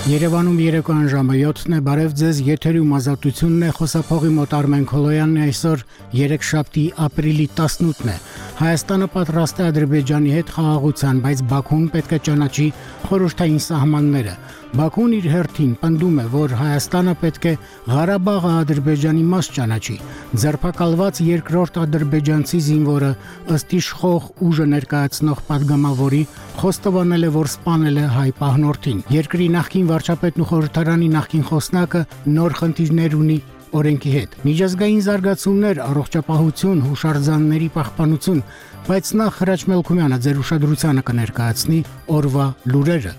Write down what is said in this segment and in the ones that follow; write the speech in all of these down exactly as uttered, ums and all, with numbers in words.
Երևանում երեկոյան ժամը յոթն է, բարև ձեզ, եթերում ազատությունն է, խոսափողի մոտ Արմեն Քոլոյանն է, այսօր երեքշաբթի ապրիլի տասնութն է։ Հայաստանը պատրաստ է Ադրբեջանի հետ խաղաղության, բայց Բաքուն պետք է ճանաչի խորհրդային սահմանները։ Բաքուն իր հերթին պնդում է, որ Հայաստանը պետք է Ղարաբաղը Ադրբեջանի մաս ճանաչի։ Ձերբակալված երկրորդ ադրբեջանցի զինվորը ըստ իշխող ուժը ներկայացնող падգամավորի խոստովանել է, որ սպանել է հայ պահնորդին։ Երկրի նախկին վարչապետն ու խորհրդարանի նախկին խոսնակը նոր խնդիրներ ունի օրենքի հետ։ Միջազգային զարգացումներ, առողջապահություն, հուշարձանների պահպանություն, բայց նախ Հրաչ Մելքումյանը ձեր ուշադրությանը կներկայացնի օրվա լուրերը։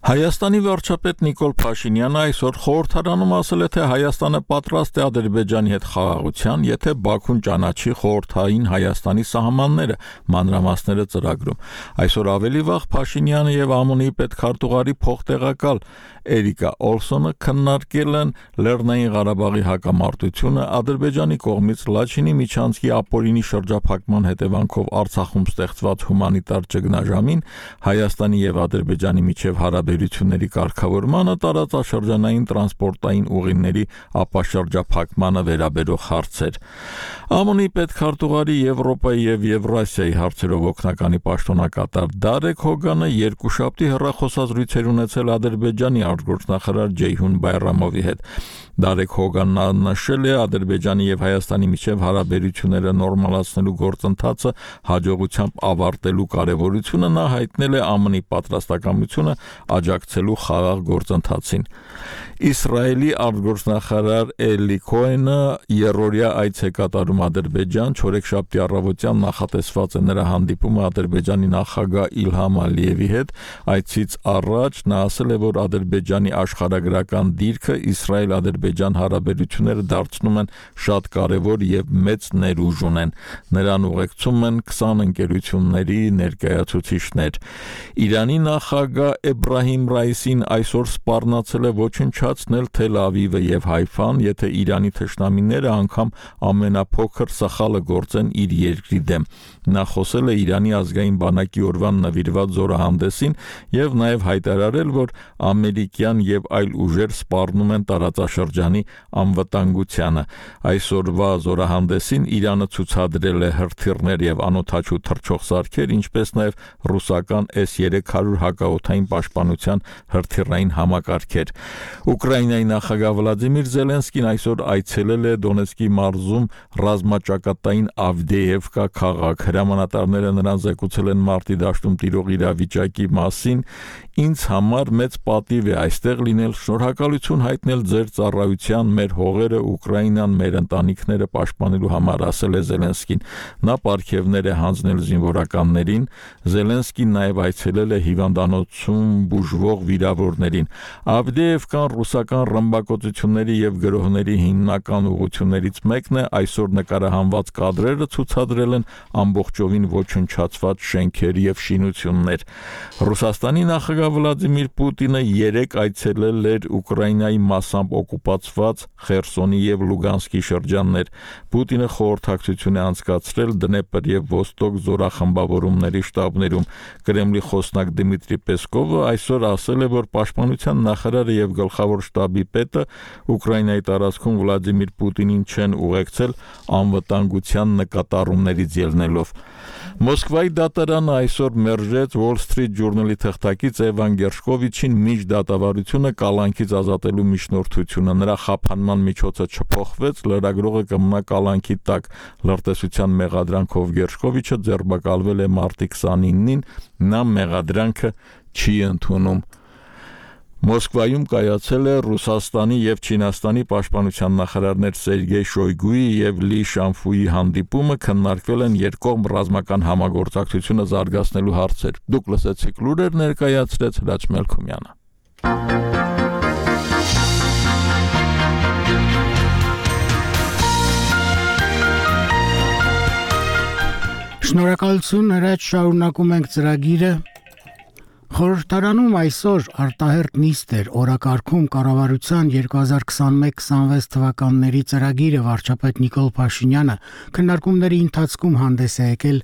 Հայաստանի վարչապետ Նիկոլ Փաշինյանը այսօր խորհրդարանում ասել է, թե Հայաստանը պատրաստ է Ադրբեջանի հետ խաղաղության, եթե Բաքուն ճանաչի խորհրդային Հայաստանի սահմանները, մանրամասները ծրագրում։ Այսօր ավելի վաղ Փաշինյանը եւ ԱՄՈՆ-ի պետքարտուղարի փոխտեղակալ Էրիկա Օլսոնը քննարկել են Լեռնային Ղարաբաղի հակամարտությունը, Ադրբեջանի կողմից Լաչինի միջանցքի ապօրինի շրջափակման հետևանքով Արցախում ստեղծված հումանիտար ճգնաժամին, Հայաստանի եւ Ադրբեջանի միջև հարաբերությունների կարգավորմանը, տարածաշրջանային տրանսպորտային ուղիների ապաշրջափակմանը վերաբերող հարցեր։ ԱՄՈՆ-ի պետքարտուղարի Եվրոպայի եւ Եվրասիայի հարցերով օգնականի պաշտոնակատար Դարեկ Հոգանը երկուշաբթի հեռախոսազրույցեր ունեցել Ադրբեջանի արտգործնախարար Ջեյհուն Բայրամովի հետ։ Դարեկ Հոգանն նշել է Ադրբեջանի եւ Հայաստանի միջև հարաբերությունները նորմալացնելու գործընթացը հաջողությամբ ավարտելու կարեւորությունը, նա հայտնել է ԱՄՆ-ի պատրաստակամությունը աջակցելու խաղաղ գործընթացին։ Իսրայելի արտգործնախարար Էլի Քոենը երրորդյա այց է կատարում Ադրբեջան, չորեքշաբթի առավոտյան նախատեսված է նրա հանդիպումը Ադրբեջանի նախագահ Իլհամ Ալիևի հետ։ Այցից առաջ նա ասել է, որ Ադրբեջանի աշխարհագրական դիրքը Իսրայել-Ադրբեջան հարաբերությունները դարձնում են շատ կարևոր եւ մեծ ներուժ ունեն։ Նրան ուղեկցում են քսան ընկերությունների ներկայացուցիչներ։ Իրանի նախագահ Էբրահիմ Ռայիսին այսօր սպառնացել է ոչնչացնել Թել Ավիվը եւ Հայֆան, եթե Իրանի թշնամիները անգամ ամենափոքր սխալը գործեն իր երկրի դեմ։ Նա խոսել է Իրանի ազգային բանակի օրվան նվիրված զորահանդեսին եւ նաեւ հայտարարել, որ ամերիկյան եւ այլ ուժեր սպառնում են տարածաշրջանի անվտանգությանը։ Այսօրվա զորահանդեսին Իրանը ցուցադրել է հրթիռներ եւ անօդաչու թռչող սարքեր, ինչպես նաեւ ռուսական S երեք հարյուր հակաօդային պաշտպանության հրթիռային համակարգեր։ Ուկրաինայի նախագահ Վլադիմիր Զելենսկին այսօր այցելել է Դոնեցկի մարզում ռազմաճակատային Ավդեևկա քաղաք։ Հրամանատարները նրան զեկուցել են մարտի դաշտում տիրող իրավիճակի մասին։ Ինձ համար մեծ պատիվ է այստեղ լինել, շնորհակալություն հայտնել ձեր ծառայության, մեր հողերը, Ուկրաինան, մեր ընտանիքները պաշտպանելու համար, ասել է Զելենսկին։ Նա պարգևներ է հանձնել զինվորականներին։ Զելենսկին նաև այցելել է հիվանդանոցում բուժվող վիրավորներին։ Ավդեևկան ռուսական ռմբակոծությունների եւ գրոհների հիմնական ուղղություններից մեկն է, այսօր նկարահանված կադրերը ցուցադրել են ամբողջովին ոչնչացված շենքեր եւ շինություններ։ Ռուսաստանի նախագահ Վլադիմիր Պուտինը երեկ այցելել էր Ուկրաինայի մասամբ օկուպացված Խերսոնի եւ Լուգանսկի շրջաններ։ Պուտինը խորհրդակցություն է անցկացրել Դնեպր եւ Ոստոկ զորախմբավորումների շտաբներում։ Կրեմլի խոսնակ Դմիտրի Պեսկովը այսօր ասել է, որ պաշտպանության նախարարը եւ գլխավոր շտաբի պետը Ուկրաինայի տարածքում Վլադիմիր Պուտինին չեն ուղեկցել անվտանգության նկատառումներից ելնելով։ Մոսկվայի դատարանը այսօր մերժեց Wall Street Journal-ի թղթակից Էվան Գերշկովիչին միջդատավարությունը կալանքից ազատելու միջնորդությունը։ Նրա խափանման միջոցը չփոխվեց, լրագրողը կմնա կալանքի տակ։ Լրտեսության մեղադրանքով Գերշկովիչը ձերբակալվել է մարտի քսանինին, նա մեղադրանքը չի ընդունում։ Մոսկվայում կայացել է Ռուսաստանի եւ Չինաստանի պաշտպանության նախարարներ Սերգեյ Շոյգուի եւ Լի Շանֆուի հանդիպումը, քննարկվել են երկկողմ ռազմական համագործակցությունը զարգացնելու հարցեր։ Դուք լսեցիք լուրեր, ներկայացրեց Հրաչ Մելքումյանը։ Շնորհակալություն, Հրաչ, շարունակում ենք ծրագիրը։ Խորհրդարանում այսօր արտահերտ նիստ էր օրակարգում կառավարության երկու հազար քսանմեկ քսանվեց թվականների ծրագիրը վարչապետ Նիկոլ Փաշինյանը քննարկումների ընթացքում հանդես է եկել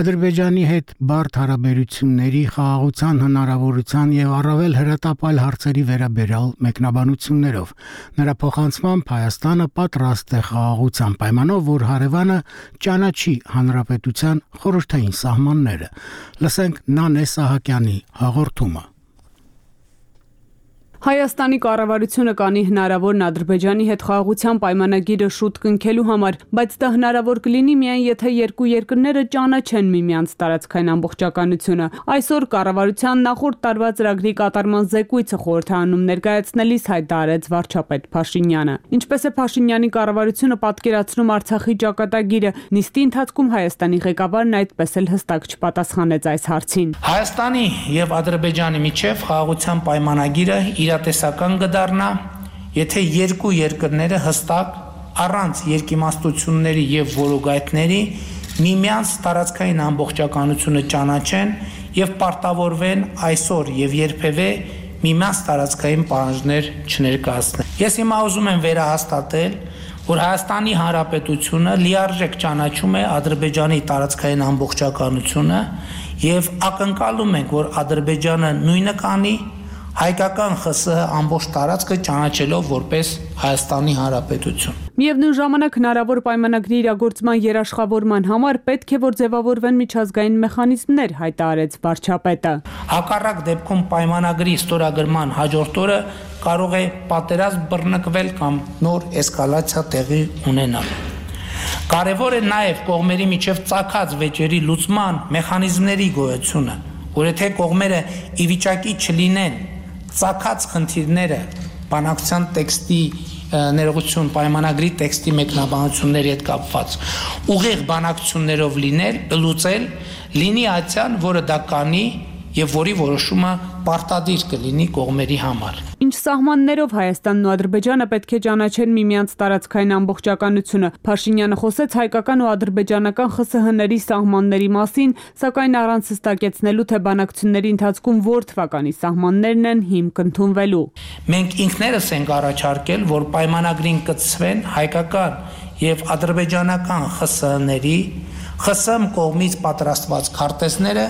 Ադրբեջանի հետ բարդ հարաբերությունների խաղաղության հնարավորության եւ առավել հրատապալ հարցերի վերաբերյալ մեկնաբանություններով։ Նրա փոխանցմամբ Հայաստանը պատրաստ է խաղաղության պայմանով, որ հարևանը ճանաչի հանրապետության խորհրդային սահմանները։ Լսենք Նանե Սահակյանի հաղորդումը։ Հայաստանի կառավարությունը կանի հնարավորն Ադրբեջանի հետ խաղաղության պայմանագիրը շուտ կնքելու համար, բայց դա հնարավոր կլինի միայն եթե երկու երկրները ճանաչեն միմյանց տարածքային ամբողջականությունը։ Այսօր կառավարության նախորդ տարվա ծրագրի կատարման զեկույցը խորհրդարանում ներկայացնելիս հայտարարեց վարչապետ Փաշինյանը։ Ինչպես է Փաշինյանի կառավարությունը պատկերացնում Արցախի ճակատագիրը, նիստի ընթացքում Հայաստանի ղեկավարն այդպես էլ հստակ չպատասխանեց այս հարցին։ Հայաստանի եւ Ադրբեջանի միջև խաղաղության պայմանագիրը իրատեսական կդառնա, եթե երկու երկրները հստակ առանց երկիմաստությունների եւ որոգայթների միմյանց տարածքային ամբողջականությունը ճանաչեն եւ պարտավորվեն այսօր եւ երբևէ միմյանց տարածքային պահանջներ չներկայացնեն։ Ես հիմա ուզում եմ վերահաստատել, որ Հայաստանի Հանրապետությունը լիարժեք ճանաչում է Ադրբեջանի տարածքային ամբողջականությունը եւ ակնկալում ենք, որ Ադրբեջանը նույնը կանի հայկական ԽՍՀ ամբողջ տարածքը ճանաչելով որպես Հայաստանի Հանրապետություն։ Միևնույն ժամանակ հնարավոր պայմանագրի իրագործման երաշխավորման համար պետք է որ ձևավորվեն միջազգային մեխանիզմներ, հայտարարեց վարչապետը։ Հակառակ դեպքում պայմանագրի ստորագրման հաջորդ օրը կարող է պատերազմ բռնկվել կամ նոր էսկալացիա տեղի ունենալ։ Կարևոր է նաև կողմերի միջև ծագած վեճերի լուծման մեխանիզմների գոյությունը, որ եթե կողմերը ի վիճակի չլինեն ծագած խնդիրները բանակցության տեքստի ներողություն պայմանագրի տեքստի մեկնաբանությունների հետ կապված ուղիղ բանակցություններով լինել, լուծել, լինի այցյան, որը դա կանի եւ որի որոշումը պարտադիր կլինի կողմերի համար։ Ինչ սահմաններով Հայաստանն ու Ադրբեջանը պետք է ճանաչեն միմյանց տարածքային ամբողջականությունը։ Փաշինյանը խոսեց հայկական ու ադրբեջանական ԽՍՀ-ների սահմանների մասին, սակայն առանց հստակեցնելու, թե բանակցությունների ընթացքում որ թվականի սահմաններն են հիմք ընդունվելու։ Մենք ինքներս ենք առաջարկել, որ պայմանագրին կցվեն հայկական եւ ադրբեջանական ԽՍՀ-ների, ԽՍՀՄ կողմից պատրաստված քարտեզները,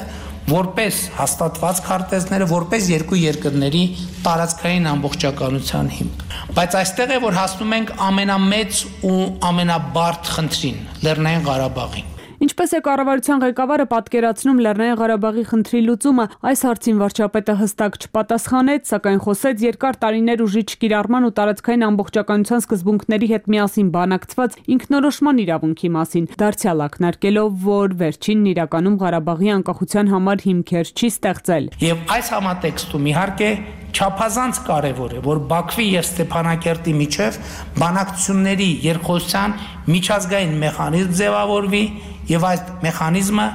որպես հաստատված քարտեզները, որպես երկու երկրների տարածքային ամբողջականության հիմք։ Բայց այստեղ է, որ հասնում ենք ամենամեծ ու ամենաբարդ խնդրին՝ Լեռնային Ղարաբաղին։ Ինչպես է կառավարության ղեկավարը պատկերացնում Լեռնային Ղարաբաղի խնդրի լուծումը, այս հարցին վարչապետը հստակ չպատասխանեց, սակայն խոսեց երկար տարիներ ուժի չկիրառման ու տարածքային ամբողջականության սկզբունքների հետ միասին բանակցված ինքնորոշման իրավունքի մասին, դարձյալ ակնարկելով, որ վերջինն իրականում Ղարաբաղի անկախության համար հիմքեր չի ստեղծել։ Եվ այս համատեքստում իհարկե չափազանց կարևոր է, որ Բաքվի եւ Ստեփանակերտի միջև բանակցությունների երկխոսության միջազգային մեխանիզմ ձևավորվի եւ այս մեխանիզմը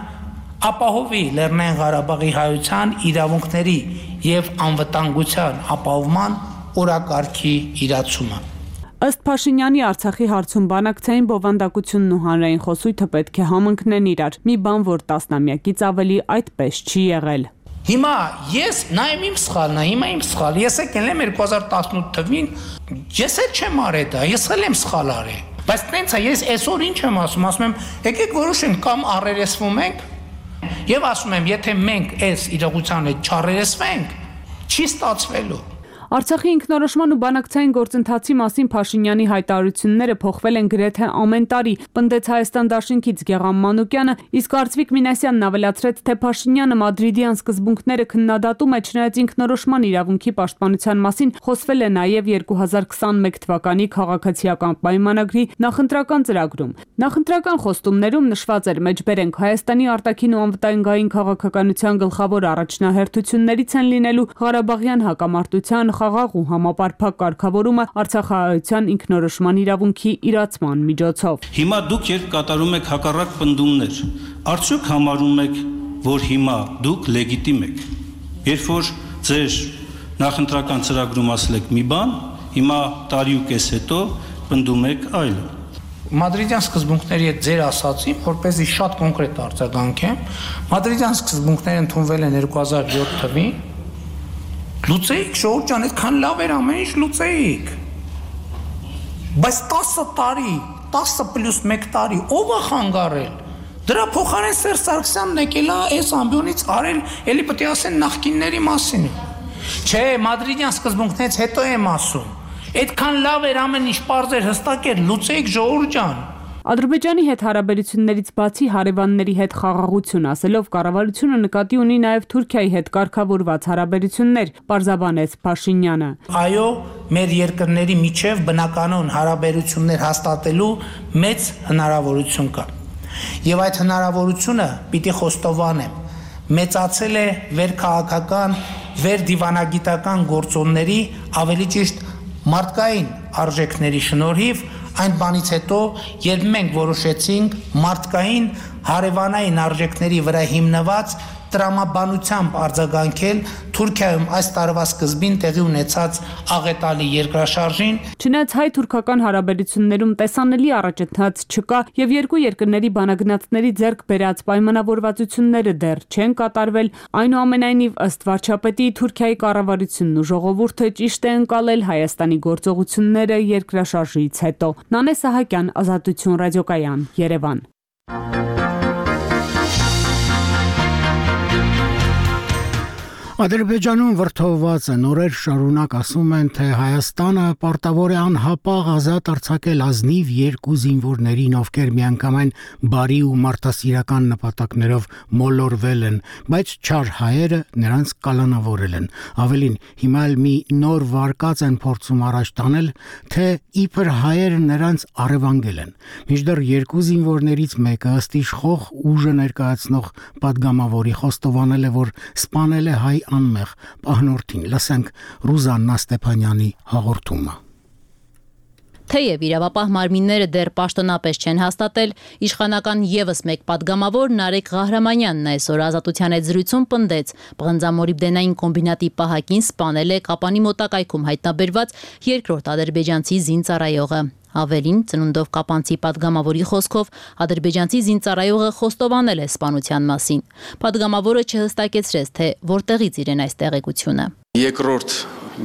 ապահովի Լեռնային Ղարաբաղի հայության իրավունքների եւ անվտանգության ապահովման օրակարգի իրացումը։ Ըստ Փաշինյանի Արցախի հարցում բանակցային բովանդակությունն ու հանրային խոսույթը պետք է համընկնեն իրար։ Մի բան, որ տասնամյակից ավելի այդպես չի եղել։ Հիմա ես նայեմ իմ սխալն է, հիմա իմ սխալ։ Ես եկել եմ երկու հազար տասնութ թվին, ես էլ չեմ արել դա, ես էլ եմ սխալ արել։ Բայց տենց է, ես այսօր ինչ եմ ասում, ասում եմ, եկեք որոշենք կամ առերեսվում ենք, եւ ասում եմ, եթե մենք այս իրողության հետ չառերեսվենք, չի ստացվելու։ Արցախի ինքնորոշման ու բանակցային գործընթացի մասին Փաշինյանի հայտարարությունները փոխվել են գրեթե ամեն տարի, պնդեց Հայաստան Դաշինքից Գեղամ Մանուկյանը, իսկ Արծվիկ Մինասյանն ավելացրեց, թե Փաշինյանը մադրիդյան սկզբունքները քննադատում է, չնայած ինքնորոշման իրավունքի պաշտպանության մասին խոսվել է նաև երկու հազար քսանմեկ թվականի քաղաքացիական պայմանագրի նախընտրական ծրագրում։ Նախընտրական խոստումներում նշված էր մեջբերենք Հայաստանի արտաքին ու անվտանգային քաղաքականության գլխավոր առաջնահերթություններից են լինելու Ղարաբաղյան հակամարտության խաղաղ ու համապարփակ կարգավորումը Արցախահայության ինքնորոշման իրավունքի իրացման միջոցով։ Հիմա դուք երբ կատարում եք հակառակ պնդումներ, արդյոք համարում եք, որ հիմա դուք լեգիտիմ եք։ Երբ որ ձեր նախընտրական ծրագրում ասել եք մի բան, հիմա տարի ու կես հետո պնդում եք այլը։ Մադրիդյան սկզբունքների հետ ձեր ասացին, որպեսզի շատ կոնկրետ արձագանքեմ, Մադրիդյան սկզբունքները ընդունվել են երկու հազար յոթ թվականին։ Լուծեիք, ժողովուրդ ջան, այդքան լավ էր ամեն ինչ լուծեիք։ Բայց տասը տարի, տասը պլյուս մեկ տարի ով է խանգարել։ Դրա փոխարեն Սերժ Սարգսյանն եկել է այս ամբիոնից արել, էլի պետք է ասեն նախկինների մասին։ Չէ, Մադրիդյան սկզբունքներից հետո եմ ասում։ Այդքան լավ էր ամեն ինչ պարզ էր, հստակ էր, լուծեիք ժողովուրդ ջան։ Ադրբեջանի հետ հարաբերություններից բացի հարևանների հետ խաղաղություն ասելով կառավարությունը նկատի ունի նաև Թուրքիայի հետ կարգավորված հարաբերություններ, պարզաբանեց Փաշինյանը։ Այո, մեր երկրների միջև բնականon հարաբերություններ հաստատելու մեծ հնարավորություն կա։ Եվ այդ հնարավորությունը պիտի խոստովանեմ, մեծացել է վերքաղաքական, վերդիվանագիտական գործոնների, ավելի ճիշտ մարդկային արժեքների շնորհիվ, այն բանից հետո, երբ մենք որոշեցինք մարդկային հարևանային արժեքների վրա հիմնված տրամաբանությամբ արձագանքել Թուրքիայում այս տարվա սկզբին տեղի ունեցած աղետալի երկրաշարժին։ Չնայած հայ-թուրքական հարաբերություններում տեսանելի առաջընթաց չկա եւ երկու երկրների բանագնացների ձեռք բերած պայմանավորվածությունները դեռ չեն կատարվել, այնուամենայնիվ ըստ վարչապետի Թուրքիայի կառավարությունն ու ժողովուրդը ճիշտ է ընկալել Հայաստանի գործողությունները երկրաշարժից հետո։ Նանե Սահակյան, Ազատություն ռադիոկայան, Երևան։ Ադրբեջանում վրդովված են օրեր շարունակ ասում են, թե Հայաստանը պարտավոր է անհապաղ ազատ արձակել ազնիվ երկու զինվորներին, ովքեր միանգամայն բարի ու մարդասիրական նպատակներով մոլորվել են, բայց չար հայերը նրանց կալանավորել են։ Ավելին, հիմա էլ մի նոր վարկած են փորձում առաջ տանել, թե իբր հայերը նրանց առևանգել են։ Մինչդեռ երկու զինվորներից մեկը ըստ իշխող ուժը ներկայացնող պատգամավորի խոստովանել է, որ սպանել է հայ անմեղ պահնորդին։ Լսենք Ռուզաննա Ստեփանյանի հաղորդումը։ Թեև իրավապահ մարմինները դեռ պաշտոնապես չեն հաստատել, իշխանական եւս մեկ պատգամավոր Նարեկ Ղահրամանյանն այսօր Ազատության հետ զրույցում պնդեց, բղնձամոլիբդենային կոմբինատի պահակին սպանել է Կապանի մոտակայքում հայտնաբերված երկրորդ ադրբեջանցի զինծառայողը։ Ավելին, ծնունդով կապանցի պատգամավորի խոսքով ադրբեջանցի զինծառայողը խոստովանել է սպանության մասին։ Պատգամավորը չհստակեցրեց, թե որտեղից իրեն այս տեղեկությունը։ Երկրորդ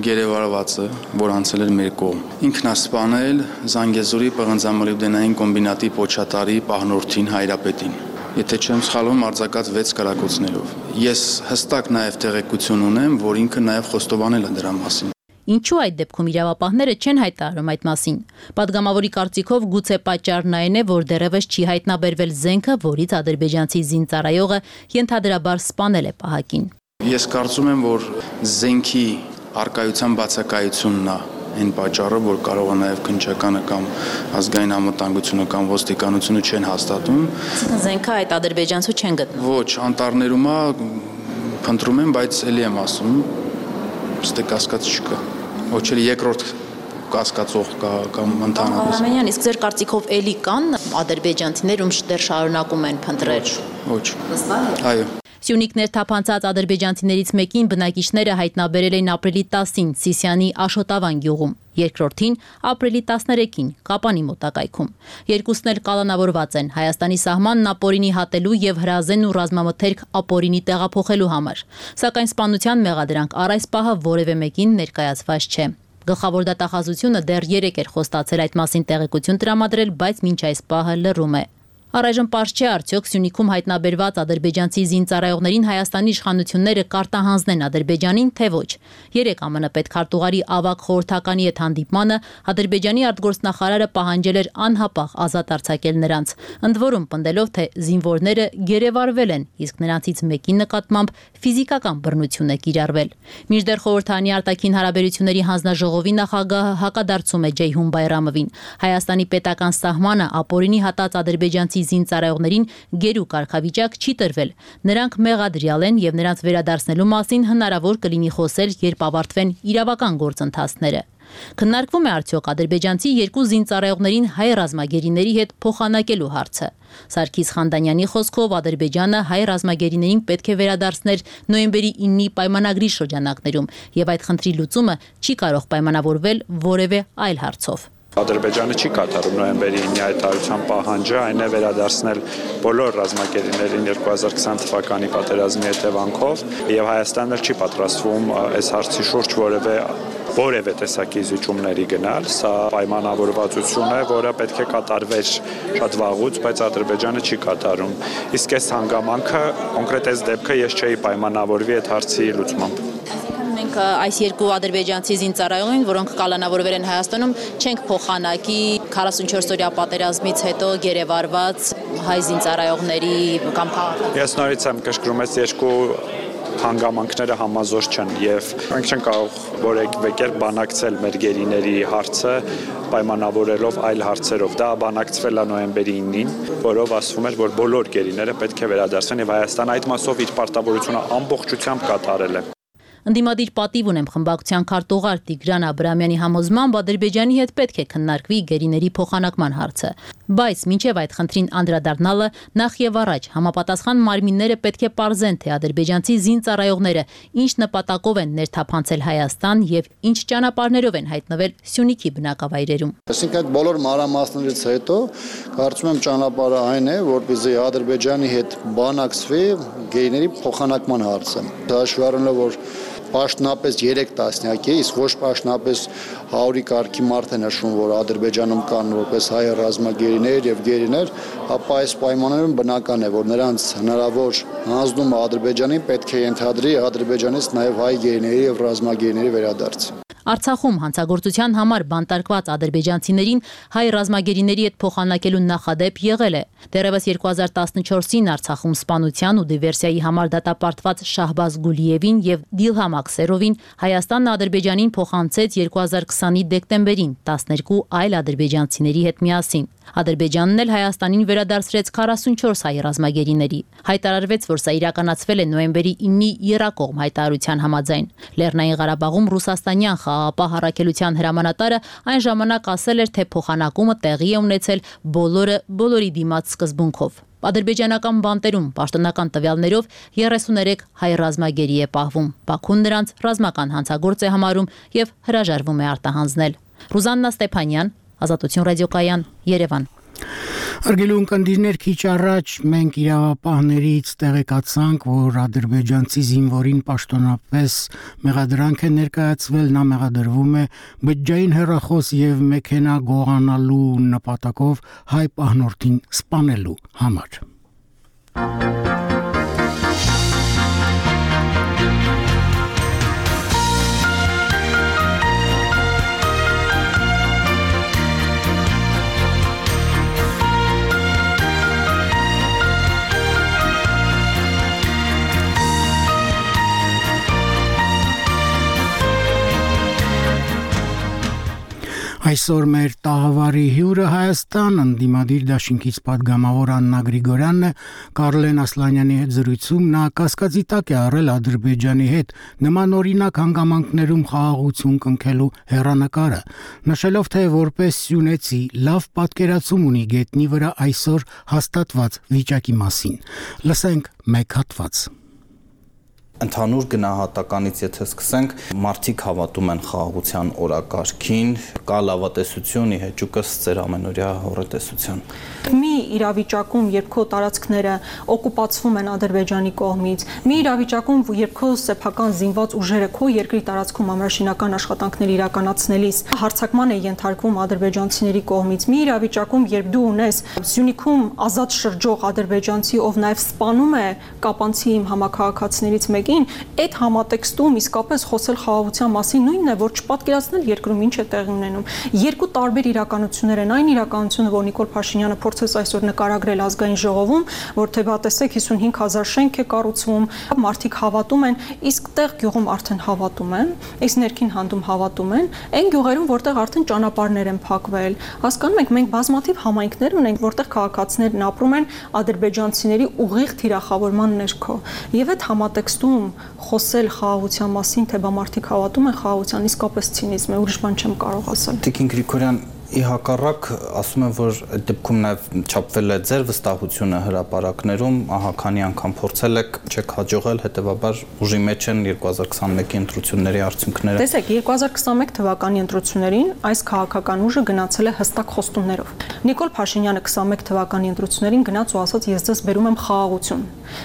գերեվարվածը, որ անցել էր մեր կողմ, ինքն է սպանել Զանգեզուրի պղնձամոլիբդենային կոմբինատի պոչատարի պահնորդին Հայրապետին։ Եթե չեմ սխալվում, արձակած վեց կրակոցներով։ Ես հստակ նաև տեղեկություն ունեմ, որ ինքը նաև խոստովանել է դրա մասին։ Ինչու այդ դեպքում իրավապահները չեն հայտարարում այդ մասին։ Պատգամավորի կարծիքով գուցե պատճառն այն է, որ դեռևս չի հայտնաբերվել զենքը, որից ադրբեջանցի զինծառայողը ենթադրաբար սպանել է պահակին։ Ես կարծում եմ, որ զենքի առկայության բացակայությունն է այն պատճառը, որ կարող է նաև քննչականը կամ ազգային անվտանգությունը կամ ոստիկանությունը չեն հաստատում։ Զենքը այդ ադրբեջանցու չեն գտնում։ Ոչ, անտառներում է, փնտրում են, բայց ելի եմ ասում, ստե կասկած չկա։ Ոչ էլ երկրորդ կասկածող կա կամ ընդհանրապես։ Արամենյան, իսկ ձեր կարծիքով էլի կան ադրբեջանցիներ, ում դեռ շարունակում են փնտրել։ Ոչ։ Այո։ Սյունիքներ թափանցած ադրբեջանցիներից մեկին բնակիչները հայտնաբերել են ապրիլի տասին Սիսիանի Աշոտավան գյուղում, երկրորդին ապրիլի տասներեքին Կապանի մոտակայքում։ Երկուսն էլ կալանավորված են Հայաստանի սահմանն ապօրինի հատելու եւ հրազեն ու ռազմամթերք ապօրինի տեղափոխելու համար։ Սակայն սպանության մեղադրանք առ այս պահը որևէ մեկին ներկայացված չէ։ Գլխավոր դատախազությունը դեռ երեկ էր խոստացել այդ մասին տեղեկություն տրամադրել, բայց մինչ այս պահը լռում է։ Առայժմ պարզ չէ արդյոք Սյունիքում հայտնաբերված ադրբեջանցի զինծառայողներին Հայաստանի իշխանությունները կարտահանձնեն Ադրբեջանին, թե ոչ։ Երեկ ԱՄՆ պետքարտուղարի ավագ խորհրդականի հետ հանդիպմանը Ադրբեջանի արտգործնախարարը պահանջել էր անհապաղ ազատ արձակել նրանց, ընդ որում պնդելով, թե զինվորները գերեվարվել են, իսկ նրանցից մեկի նկատմամբ ֆիզիկական բռնություն է կիրառվել։ Մինչդեռ խորհրդանի արտաքին հարաբերությունների հանձնաժողովի նախագահը հակադարձում է Ջեյհուն Բայրամովին։ Հայաստանի պետական սահմանը ապօրինի հատած ադրբեջանցի զինծառայողներին գերու կարգավիճակ չի տրվել։ Նրանք մեղադրյալ են եւ նրանց վերադարձնելու մասին հնարավոր կլինի խոսել, երբ ավարտվեն իրավական գործընթացները։ Քննարկվում է արդյոք ադրբեջանցի երկու զինծառայողներին հայ ռազմագերիների հետ փոխանակելու հարցը։ Սարգիս Խանդանյանի խոսքով Ադրբեջանը հայ ռազմագերիներին պետք է վերադարձներ նոյեմբերի իննի պայմանագրի շրջանակներում եւ այդ խնդրի լուծումը չի կարող պայմանավորվել որևէ այլ հարցով։ Ադրբեջանը չի կատարում նոյեմբերի ինի հայտարարության պահանջը, այն է վերադարձնել բոլոր ռազմագերիներին երկու հազար քսան թվականի պատերազմի հետևանքով, եւ Հայաստանը չի պատրաստվում այս հարցի շուրջ որևէ որևէ տեսակի զիջումների գնալ, սա պայմանավորվածություն է, որը պետք է կատարվեր շատ վաղուց, բայց Ադրբեջանը չի կատարում։ Իսկ այս հանգամանքը, կոնկրետ այս դեպքը ես չէի պայմանավորվի այդ հարցի լուծմամբ։ Մենք այս երկու ադրբեջանցի զինծառայողին, որոնք կալանավորվել են Հայաստանում, չենք փոխանակի քառասունչորս օրյա պատերազմից հետո գերեվարված հայ զինծառայողների կամ քաղաքացիների։ Ես նորից եմ կշկրում, այս երկու հանգամանքները համազոր չեն եւ մենք չենք կարող որևէ կերպ բանակցել մեր գերիների հարցը պայմանավորելով այլ հարցերով։ Դա բանակցվել է նոյեմբերի ինին, որով ասվում էր, որ բոլոր գերիները պետք է վերադարձվեն եւ Հայաստանը այդ մասով իր պարտավորությունը ամբողջությամբ կատարել է։ Ընդդիմադիր պատիվ ունեմ խմբակցության քարտուղար Տիգրան Աբրամյանի համոզմամբ Ադրբեջանի հետ պետք է քննարկվի գերիների փոխանակման հարցը, բայց մինչև այդ խնդրին անդրադառնալը նախ եւ առաջ համապատասխան մարմինները պետք է պարզեն, թե ադրբեջանցի զինծառայողները ինչ նպատակով են ներթափանցել Հայաստան եւ ինչ ճանապարհներով են հայտնվել Սյունիքի բնակավայրերում։ Այսինքն այդ բոլոր մանրամասներից հետո կարծում եմ ճանապարհը այն է, որպեսզի Ադրբեջանի հետ բանակցվի գերիների փոխանակման հարցը։ Հաշվի առնելով, որ պաշտոնապես երեք տասնյակ է, իսկ ոչ պաշտոնապես հարյուրի կարգի մարդ է նշում, որ Ադրբեջանում կան որպես հայ ռազմագերիներ եւ գերիներ, ապա այս պայմաններում բնական է, որ նրանց հնարավոր հանձնումը Ադրբեջանին պետք է ենթադրի Ադրբեջանից նաեւ հայ գերիների եւ ռազմագերիների վերադարձ։ Արցախում հանցագործության համար բանտարկված ադրբեջանցիներին հայ ռազմագերիների հետ փոխանակելու նախադեպ եղել է։ Դեռևս երկու հազար տասնչորսին Արցախում սպանության ու դիվերսիայի համար դատապարտված Շահբազ Գուլիևին եւ Դիլհամ Աքսերովին Հայաստանն Ադրբեջանին փոխանցեց երկու հազար քսանի դեկտեմբերին տասներկու այլ ադրբեջանցիների հետ միասին։ Ադրբեջանն էլ Հայաստանին վերադարձրեց քառասունչորս հայ ռազմագերիների։ Հայտարարվեց, որ սա իրականացվել է նոյեմբերի ինի եռակողմ հայտարարության համաձայն։ Լեռնային Ղարաբաղում ռուսաստանյան խաղաղապահ առաքելության հրամանատարը այն ժամանակ ասել էր, թե փոխանակումը տեղի է ունեցել բոլորը բոլորի դիմաց սկզբունքով։ Ադրբեջանական բանտերում պաշտոնական տվյալներով երեսուներեք հայ ռազմագերի է պահվում։ Բաքուն նրանց ռազմական հանցագործ է համարում եւ հրաժարվում է արտահանձնել։ Ռուզաննա Ստեփանյան, Ազատություն ռադիոկայան, Երևան։ Արգելուն կնդիրներ քիչ առաջ մենք իրավապահներից տեղեկացանք, որ ադրբեջանցի զինվորին պաշտոնապես մեղադրանք է ներկայացվել, նա մեղադրվում է բջջային հեռախոս եւ մեքենա գողանալու նպատակով հայ պահնորդին սպանելու համար։ Այսօր մեր տաղավարի հյուրը Հայաստան ընդդիմադիր դաշինքից պատգամավոր Աննա Գրիգորյանն է, Կարլեն Ասլանյանի հետ զրույցում նա կասկածի տակ է առել Ադրբեջանի հետ նման օրինակ հանգամանքներում խաղաղություն կնքելու հեռանկարը, նշելով, թե որպես սյունեցի լավ պատկերացում ունի գետնի վրա այսօր հաստատված վիճակի մասին։ Լսենք մեկ հատված։ Ընդհանուր գնահատականից եթե սկսենք, մարդիկ հավատում են խաղաղության օրակարգին, կա լավատեսություն, իհեճուկս ծեր ամենօրյա հոռետեսության։ Մի իրավիճակում, երբ քո տարածքները օկուպացվում են Ադրբեջանի կողմից, մի իրավիճակում, երբ քո սեփական զինված ուժերը քո երկրի տարածքում ամրաշինական աշխատանքներ իրականացնելիս հարձակման է ենթարկվում ադրբեջանցիների կողմից, մի իրավիճակում, երբ դու ունես Սյունիքում ազատ շրջող ադրբեջանցի, ով նաև սպանում է կապանցի իմ համակարգացիներից մեկին, այդ համատեքստում իսկապես խոսել խաղաղության մասին նույնն է, որ չպատկերացնել երկրում ինչ է տեղի ունենում։ Երկու տարբեր իրականություններ են, այն իրականությունը, որ Նիկոլ Փաշինյանը փորձեց այսօր նկարագրել ազգային ժողովում, որ թե բա տեսեք հիսունհինգ հազար շենք է կառուցվում, մարդիկ հավատում են, իսկ տեղ գյուղում արդեն հավատում են, իսկ ներքին հանդում հավատում են, այն գյուղերում, որտեղ արդեն ճանապարհներ են փակվել։ Հասկանում եք, մենք բազմաթիվ համայնքներ ունենք, որտեղ քաղաքացիներն ապրում են ադրբեջանցիների ուղիղ թիրախավորման ներքո։ Եվ այդ համատեքստում խոսել խաղաղության մասին, թե բա մարդիկ հավատում են խաղաղության, իսկապես ցինիզմ է, ուրիշ բան չեմ կարող ասել։ Տիկին Գրիգորյան, Ի հակառակ, ասում եմ, որ այդ դեպքում նաև չափվել է ձեր վստահությունը հրապարակներում, ահա քանի անգամ փորձել եք, չեք հաջողել, հետեւաբար ուժի մեջ են երկու հազար քսանմեկի ընտրությունների արդյունքները։ Տեսեք, երկու հազար քսանմեկ թվականի ընտրություններին այս քաղաքական ուժը գնացել է հստակ խոստումներով։ Նիկոլ Փաշինյանը քսանմեկ թվականի ընտրություններին գնաց ու ասաց՝ ես ձեզ բերում եմ խաղաղություն,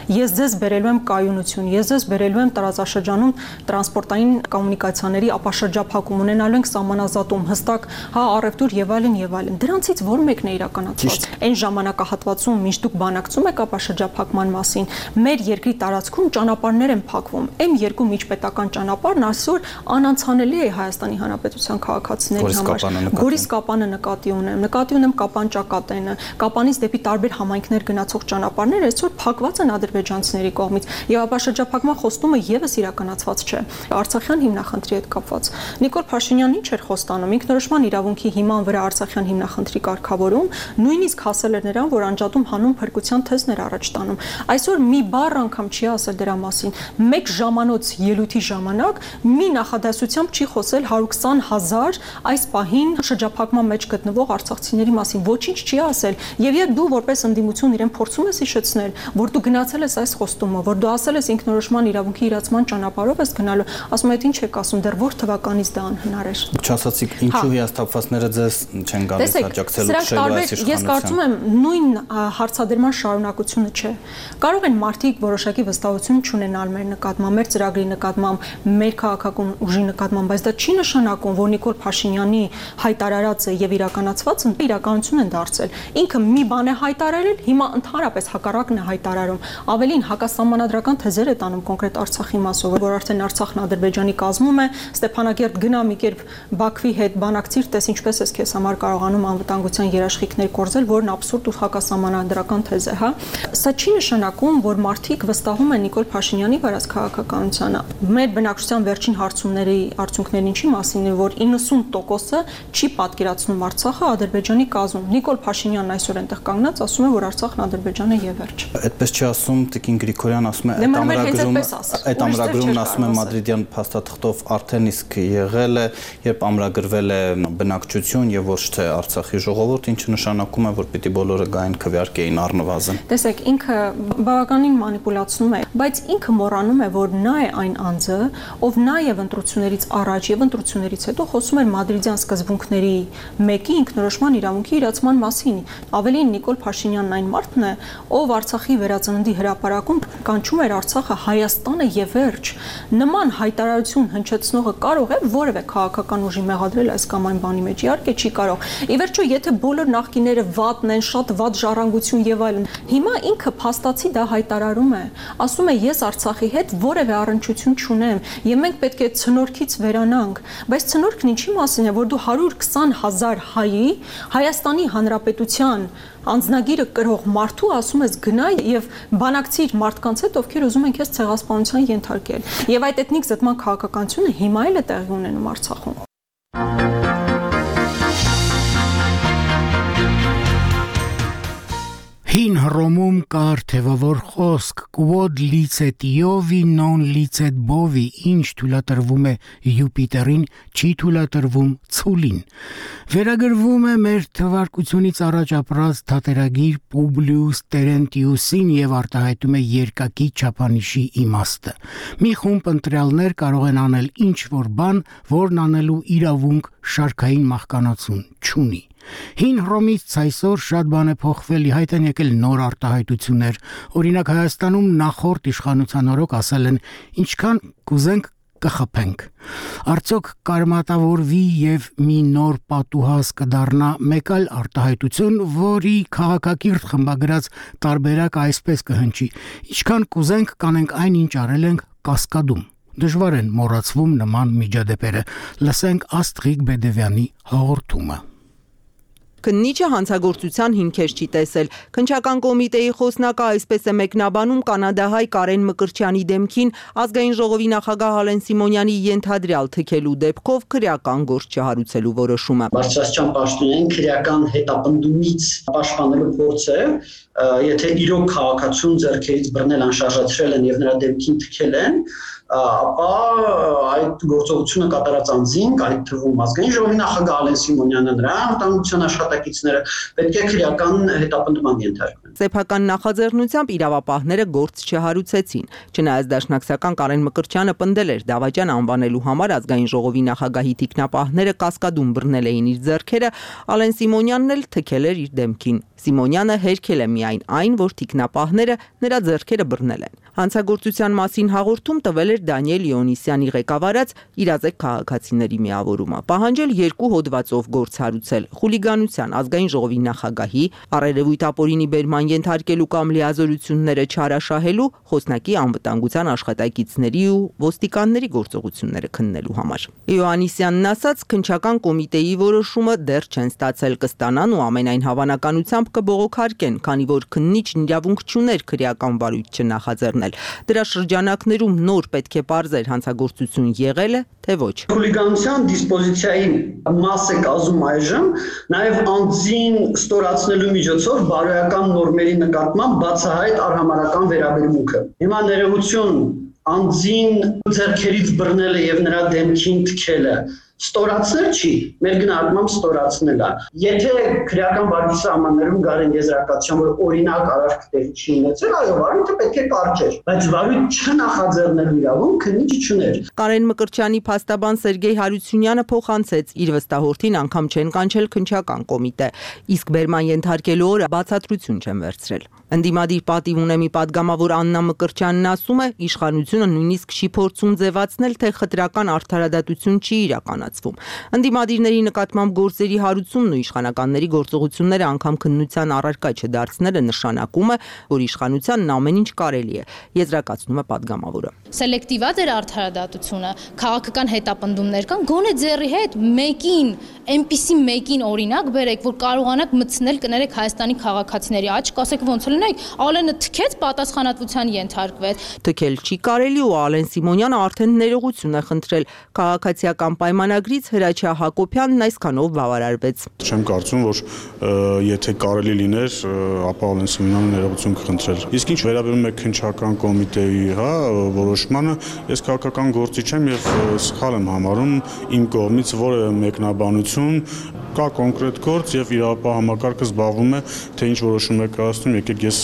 ես ձեզ բերելու եմ կայունություն, ես ձեզ բերելու եմ տարածաշրջանում տրանսպորտային կոմունիկացիաների ապաշրջափակում, ունենալու ենք սահմանազատում, հստակ հա առևտուր եւ այլն եւ այլն։ Դրանցից որ մեկն է իրականացված։ Այն ժամանակահատվածում, մինչ դուք բանակցում եք ապաշրջափակման մասին, մեր երկրի տարածքում ճանապարհներ են փակվում։ Էմ երկու միջպետական ճանապարհն այսօր անանցանելի է Հայաստանի Հանրապետության քաղաքացիների համար։ Գորիս Կապանը նկատի ունեմ, նկատի ունեմ Կապան-Ճակատենը, Կապանից դեպի տարբեր համայնքներ գնացող ճանապարհները այսօր փակված են ադրբեջանցիների կողմից եւ ապաշրջափակման խոստումը եւս իրականացված չէ։ Արցախյան հիմնախնդրի հետ կապված Նիկոլ Փաշինյանն ինչ էր խոստանում, ինքնորոշման իրավունքի հիման վրա Արցախյան հիմնախնդրի կարգավորում, նույնիսկ հասել էր նրան, որ անջատում հանուն փրկության թեզներ առաջ տանում։ Այսօր մի բառ անգամ չի ասել դրա մասին։ Մեկ ժամանոց ելույթի ժամանակ մի նախադասությամբ չի խոսել հարյուր քսան հազար այս պահին շրջափակման մեջ գտնվող արցախցիների մասին, ոչինչ չի ասել։ Եվ երբ դու որպես ընդդիմություն իրեն փորձում ես հիշեցնել, որ դու գնացել ես այս խոստումը, որ դու ասել ես ինքնորոշման իրավունքի իրացման ճանապարհով ես գնալու, ասում եք ինչ եք ասում, դեռ որ թվականից դա անհնար էր։ Չասացիք, ինչու հիասթափվածները ձեզ չեն գալիս աջակցելու քշելու այս իշխանության։ Ես կարծում եմ նույն հարցադրման շարունակությունը չէ։ Կարող են մարդիկ որոշակի վստահություն չունենալ մեր նկատմամբ, մեր ծրագրի նկատմամբ, մեր քաղաքական ուժի նկատմամբ, բայց դա չի նշանակում, որ Նիկոլ Փաշինյանի հայտարարածը եւ իրականացվածը իրականություն են դարձել։ Ինքը մի բան է հայտարարել, հիմա ընդհանրապես հակառակն է հայտարարում։ Ավելին հակասահմանադրական թեզեր է տանում կոնկրետ Արցախի մասով, որ արդեն Արցախն Ադրբեջանի կազմում է, Ստեփանակերտ գնա մի կերպ Բաքվի հետ բանակցիր, տես ինչպես ես քեզ համար կարողանում անվտանգության երաշխիքներ կորզել, որն աբսուրդ ու հակասահմանադրական թեզ է, հա։ Սա չի նշանակում, որ մարդիկ վստահում են Նիկոլ Փաշինյանի վարած քաղաքականությանը։ Մեր բնակչության վերջին հարցումների արդյունքներն ինչի մասին է, որ իննսուն տոկոսը չի պատկերացնում Արցախը Ադրբեջանի կազմում։ Նիկոլ Փաշինյանն այսօր այնտեղ կանգնած ասում է, որ Արցախն Ադրբեջան է եւ վերջ։ Այդպես չի ասում Տիկին Գրիգորյան, ասում է այդ ամրագրում, այդ ամրագրումն ասում է մադրիդյան փաստաթղթով արդեն իսկ եղել է, երբ ամրագրվել է բնակչություն եւ ոչ թե Արցախի ժողովուրդ, ինչը նշանակում է, որ պիտի բոլորը գային քվեարկեին առնվազն։ Տեսեք, ինքը բավականին մանիպուլացնում է, բայց ինքը մոռանում է, որ նա է այն անձը, ով նաեւ ընտրություններից առաջ եւ ընտրություններից հետո խոսում էր մադրիդյան սկզբունքների մեկի ինքնորոշման իրավունքի իրացման մասին։ Ավելին Նիկոլ Փաշինյանն այն մարդն է, ով Արցախի վերածննդի հրապարակում կանչում էր Արցախը Հայաստանը եւ վերջ։ Նման հայտարարություն հնչեցնողը կարող է որևէ քաղաքական ուժի մեղադրել այս կամ այն բանի մեջ, իհարկե չի կարող։ Ի վերջո, եթե բոլոր նախկիները վատն են, շատ վատ ժառանգություն եւ այլն, հիմա ինքը փաստացի դա հայտարարում է, ասում է ես Արցախի հետ որևէ առնչություն չունեմ եւ մենք պետք է ցնորքից վերանանք, բայց ցնորքն ինչի մասին է, որ դու հարյուր քսան հազար հայի Հայաստանի Հանրապետության անձնագիրը կրող մարդու ասում ես գնա եւ բանակցիր մարդկանց հետ, ովքեր ուզում են քեզ ցեղասպանության ենթարկել։ Եվ այդ էթնիկ զտման քաղաքականությունը հիմա էլ է տեղի ունենում Արցախում։ Հին Հռոմում կար թևավոր խոսք «Quod licet Iovi non licet bovi», ինչ թույլատրվում է Յուպիտերին, չի թույլատրվում ցուլին։ Վերագրվում է մեր թվարկությունից առաջ ապրած թատերագիր Պուբլիուս Տերենտիուսին եւ արտահայտում է երկակի չափանիշի իմաստը։ Մի խումբ ընտրյալներ կարող են անել ինչ որ բան, որն անելու իրավունք շարքային մահկանացուն չունի։ Հին Հռոմից այսօր շատ բան է փոխվել, ի հայտ են եկել նոր արտահայտություններ։ Օրինակ Հայաստանում նախորդ իշխանության օրոք ասել են ինչքան կուզենք կխփենք։ Արդյոք կարմատավորվի եւ մի նոր պատուհաս կդառնա մեկ այլ արտահայտություն, որի քաղաքակիրթ խմբագրած տարբերակը այսպես կհնչի. ինչքան կուզենք կանենք այն ինչ արել ենք Կասկադում։ Դժվար են մոռացվում նման միջադեպերը։ Լսենք Աստղիկ Բեդևյանի հաղորդումը։ Քննիչը հանցագործության հիմքեր չի տեսել։ Քննչական կոմիտեի խոսնակը այսպես է մեկնաբանում կանադահայ Կարեն Մկրտչյանի դեմքին ազգային ժողովի նախագահ Ալեն Սիմոնյանի ենթադրյալ թքելու դեպքով քրեական գործ չհարուցելու որոշումը։ Բարձրաստիճան պաշտոնային քրեական հետապնդումից պաշտպանելու փորձը, եթե իրոք քաղաքացուն ձեռքերից բռնել անշարժացրել են եւ նրա դեմքին թքել են, ապա այդ գործողությունը կատարած անձինք, այդ թվում ազգային ժողովի նախագահ Ալեն Սիմոնյանը, նրա անվտանգության աշխատակիցները պետք է քրեական հետապնդման ենթարկվեն։ Սեփական նախաձեռնությամբ իրավապահները գործ չհարուցեցին։ Չնայած դաշնակցական Կարեն Մկրտչյանը պնդել էր դավաճան անվանելու համար ազգային ժողովի նախագահի թիկնապահները կասկադում բռնել էին իր ձեռքերը, Ալեն Սիմոնյանն էլ թքել էր իր դեմքին։ Սիմոնյանը հերքել է միայն այն, որ թիկնապահները նրա ձեռքերը բռնել են։ Հանցագործության մասին հաղորդում տվել էր Դանիել Իոնիսյանի ղեկավարած իրազեկ քաղաքացիների միավորումը, պահանջել երկու հոդվածով գործ հարուցել՝ խուլիգանության, ազգային ժողովի նախագահի, առերևույթ ապօրինի բերման ենթարկելու կամ լիազորությունները չարաշահելու, խոսնակի անվտանգության աշխատակիցների ու ոստիկանների գործողությունները քննելու համար։ Իոաննիսյանն ասաց, քննչական կոմիտեի որոշումը դեռ չեն ստացել, կստանան ու ամենայն հավանականությամբ կբողոքարկեն, քանի որ քննիչն իրավունք չուներ քրեական վարույթ չնախաձեռնել։ Դրա շրջանակներում նոր պետք է պարզեր հանցագործություն եղել է, թե ոչ։ Խուլիգանության դիսպոզիցիայի մաս է կազմում այժմ նաև անձին ստորացնելու միջոցով բարոյական նորմերի նկատմամբ բացահայտ արհամարհական վերաբերմունքը։ Հիմա ներողություն անձին ձեռքերից բռնելը եւ նրա դեմքին թքելը ստորացնել չի, մեր գնահատմամբ ստորացնել է։ Եթե քրեական վարույթի սահմաններում գարեն եզրակացության, որ օրինակ արարք տեղի չի ունեցել, այո, վարույթը պետք է կարճեր, բայց վարույթ չնախաձեռնելու իրավունք քննիչը չուներ։ Կարեն Մկրտչյանի փաստաբան Սերգեյ Հարությունյանը փոխանցեց, իր վստահորդին անգամ չեն կանչել քննչական կոմիտե, իսկ բերման ենթարկելու օրը բացատրություն չեն վերցրել։ Ընդդիմադիր պատիվ ունեմի падգամավոր Աննա Մկրտչյանն ասում է, իշխանությունը նույնիսկ չի փորձում ձևացնել, թե խտրական արդարադատություն չի իրականացվում։ Ընդդիմադիրների նկատմամբ գործերի հարուցումն ու իշխանականների գործողությունները անգամ քննության առարկա չդարձնելը նշանակում է, որ իշխանությանն ամեն ինչ կարելի է, եզրակացնում է падգամավորը։ Սելեկտիվաց էր արդարադատությունը, քաղաքական հետապնդումներ կան, գոնե ձեռի հետ մեկին, այնպիսի մեկին օրինակ բերեք, որ կարողանաք մտցնել կներեք Հայաստանի քաղաքացիների աչք, ասեք ոնց լինեք, Ալենը թքեց, պատասխանատվության ենթարկվեց։ Թքել չի կարելի ու Ալեն Սիմոնյանը արդեն ներողություն է խնդրել քաղաքացիական պայմանագրից Հրաչյա Հակոբյանն այսքանով բավարարվեց։ Չեմ կարծում, որ եթե կարելի լիներ, ապա Ալեն Սիմոնյանը ներողություն կխնդրել։ Իսկ ինչ վերաբերում է քննչական կոմիտեի, հա, որոշմանը, ես քաղաքական գործիչ եմ եւ սխալ եմ համարում իմ կողմից որևէ մեկնաբանություն, կա կոնկրետ գործ եւ իրավապահ համակարգը զբաղվում է, թե ինչ որոշում է կայացնում, եկեք ես